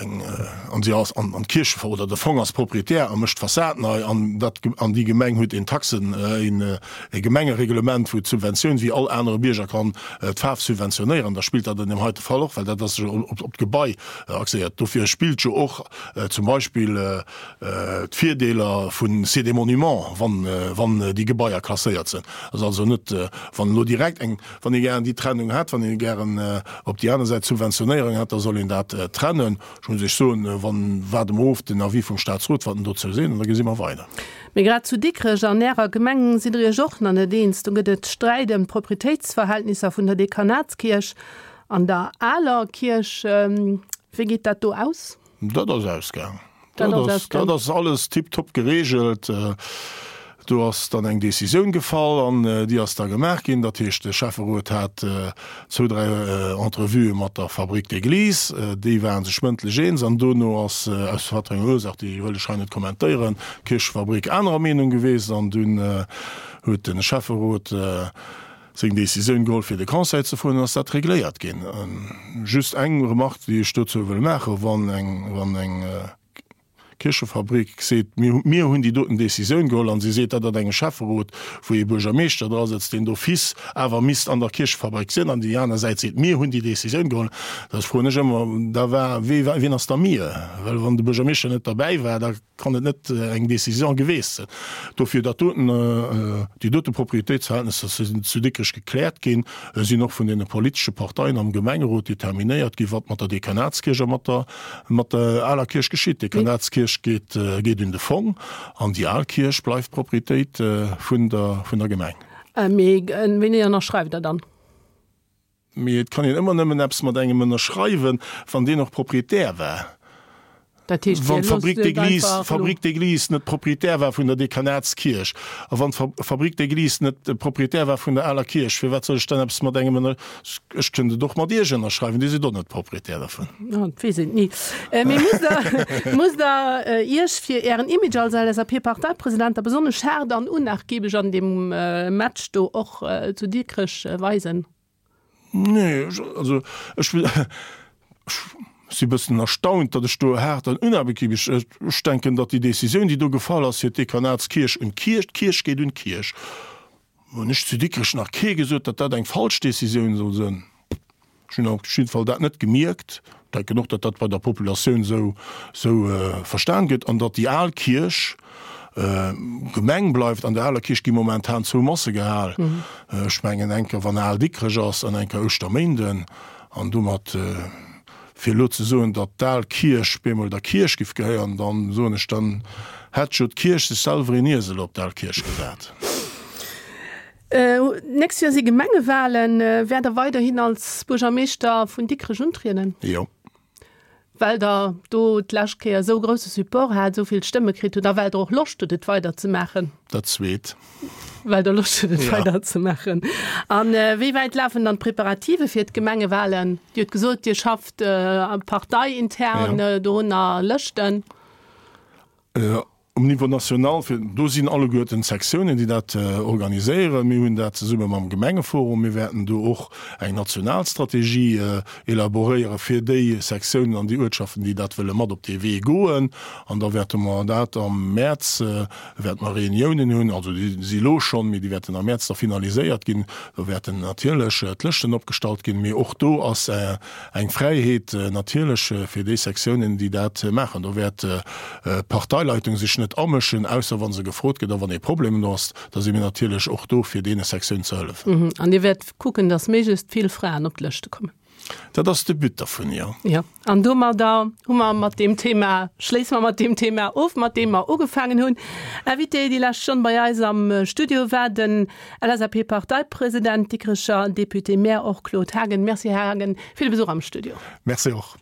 eng an si ass an d'Kierch oder de Fong ass Proprietär a mécht d'Fassad nei an dat an déi Gemeng huet een Taxen een e Gemengereglement wou d'Subventioun wéi all anere Bierger kann d'Faarf subventionéieren, da spillt dat an deem heite Fall och, well dat ass jo op op d'Gebai axéiert. Dofir spillt jo och zum Beispill d'Virdeeler vu C'est des monuments, wann wann déi Gebaier klasséiert sinn. Ass also net wann elo direkt eng wann ee gären déi Trennung hätt, wann ee gären op déi aner Säit d'Subventionéierung hätt, da soll een dat trennen. Ech muss Iech soen, wann, waarde mer of den Avis vum Statsrot, wat en dozou seet, an da gesi mer weider. Mee grad zu Dikrech an Ärer Gemeng sidd Der Iech och nach net eens. Do gëtt et Sträit ëm d'Proprietéitsverhältnisser vun der Dekanatskierch an der aler Kierch. Wéi geet dat do aus? Dat ass ausgaang. Dat ass, dat ass alles tiptop geregelt. Do ass dann eng Décisioun gefall an déi ass da gemaach ginn. Dat heescht, de Schäfferot hat zwou, dräi Entrevuë mat der Fabrique d'église. Déi ware sech mëndlech eens an dono ass, aus wat fir enger Ursaach, déi wëll ech hei net kommentéieren, d'Kierchefabrik anerer Meenung gewiesst an dunn huet de Schäfferot seng Décisioun geholl fir de Conseil ze froen an ass dat regléiert ginn. Just eng Remarque, déi ech dozou wëll maachen, Wann eng, wann eng. Kierchefabrik seet, mir, mir hunn déi doten Decisioun geholl, an si seet dat an engem Schäfferot, wou ee Buergermeeschter dra sëtzt, deen d'office awer misst an der Kierchefabrik sinn, an déi aner Säit seet, mir hunn déi Decisioun geholl. Da froen ech ëmmer, da war, wee, wien ass da mir? Well wann de Buergermeeschter net derbäi war, da kann et net eng Décision geweest sinn. Dofir dat doten, déi dote Propriétéitsverhältnisser sinn zu Dikrech gekläert ginn, sinn och vun deene politesche Parteien am Gemengerot determinéiert ginn, wat mat der Dekanatskierch a mat der, mat der aler Kierch geschitt. D'Dekanatskierch geet, geet un de Fong an déi al Kierch bleift Propriétéit vun der, vun der Gemeng. Mee wéini ënnerschreift Der dann? Mee et kann een ëmmer nëmmen eppes mat engem ënnerschreiwen, wann deen och Proprietär war. Dat heescht, Wann Dir loosst d'Fabrique et d'église, einfach elo? Fabrique d'église net Proprietär war vun der Dekanatskierch a wann d'Fabrique d'église net Proprietär war vun der aler Kierch, firwat soll ech dann eppes mat engem ënner, ech kënnt et och mat Iech ënnerschreiwen, Dir sidd och net Proprietär dervun. Oh, dat weess een ni. Mee musst Der, musst Der Iech fir Ären Image als LSAP-Parteipresident da besonnesch haart an unnachgiebeg an deem Match do och zu Dikrech weisen? Nee, also ech si bëssen erstaunt, datt ech do haart an unabekiebeg, ech denken, datt déi Décisioun, déi do gefall ass fir d'Dekanatskierch un d'Kierch, d'Kierch geet un d'Kierch, hunn ech zu Dikrech nach kee gesot, datt dat eng falsch Décisioun soll sënn. Ech hunn op jidde Fall dat net gemierkt. Denken och, datt dat bei der Populatioun esou esou verstan gëtt an datt déi al Kierch Gemeng bleift. An der aler Kierch gi momentan zwou Masse gehal. Ech mengen eng Kéier wann Al Dikrech ass an eng Kéier Ouschterméinden. An domat, fir elo ze soen, datt d'al Kierch bemol der Kierch giff gehéieren, dann soen ech, dann hätt jo d'Kierch sech selwer een Iesel op d'al Kierch gesat. D'nächst Joer si Gemengewalen. Wäert Der weiderhin als Buergermeeschter vun Dikrech untrieden? Jo. Well Der do d'lescht Kéier esou grousse Support hat, esou vill Stëmme kritt hutt a well Der och Loscht hutt, et weider ze maachen? Dat Zweet. Well Der Loscht hutt, et weider ze maachen. A wéi wäit lafen dann d'Preparative fir d'Gemengewalen? Dir hutt gesot, Dir schafft parteiintern dorunner, Lëschten. Um Niveau national, fir, do sinn alleguerten d'Sektiounen, déi dat organiséieren. Mir hunn dat zesumme mam Gemengeforum. Mir wäerten do och eng national Strategie elaboréiere fir déi Sektiounen an déi Uertschaften, déi dat wëlle mat op dee Wee goen. An da wäerte mer dat am Mäerz, wäerte mer Reuniounen hunn, also déi si elo schonn, mee déi wäerten am Mäerz da finaliséiert ginn. Do wäerten natierlech d'Lëschten opgestallt ginn. Mee och do ass eng Fräiheet natierlech fir déi Sektiounen, déi dat maachen. Do wäert d'Parteileitung sech net amëschen, ausser wa se gefrot gëtt a wann ee Problem do ass, da si mir natierlech och do, fir deene Sektiounen ze hëllefen. An Dir wäert kucken, datt méiglechst vill Fraen op d'Lëschte kommen? Dat ass de But dervun, jo. Jo. An domadder hu mer mat deem Thema, schléisse mer mat deem Thema of, mat deem mer ugefaangen hunn. Invité déi lescht Stonn bei eis am Studio war den LSAP-Parteipresident, Dikrecher Député-Maire och Claude Haagen. Merci, Här Haagen, fir de Besuch am Studio. Merci och.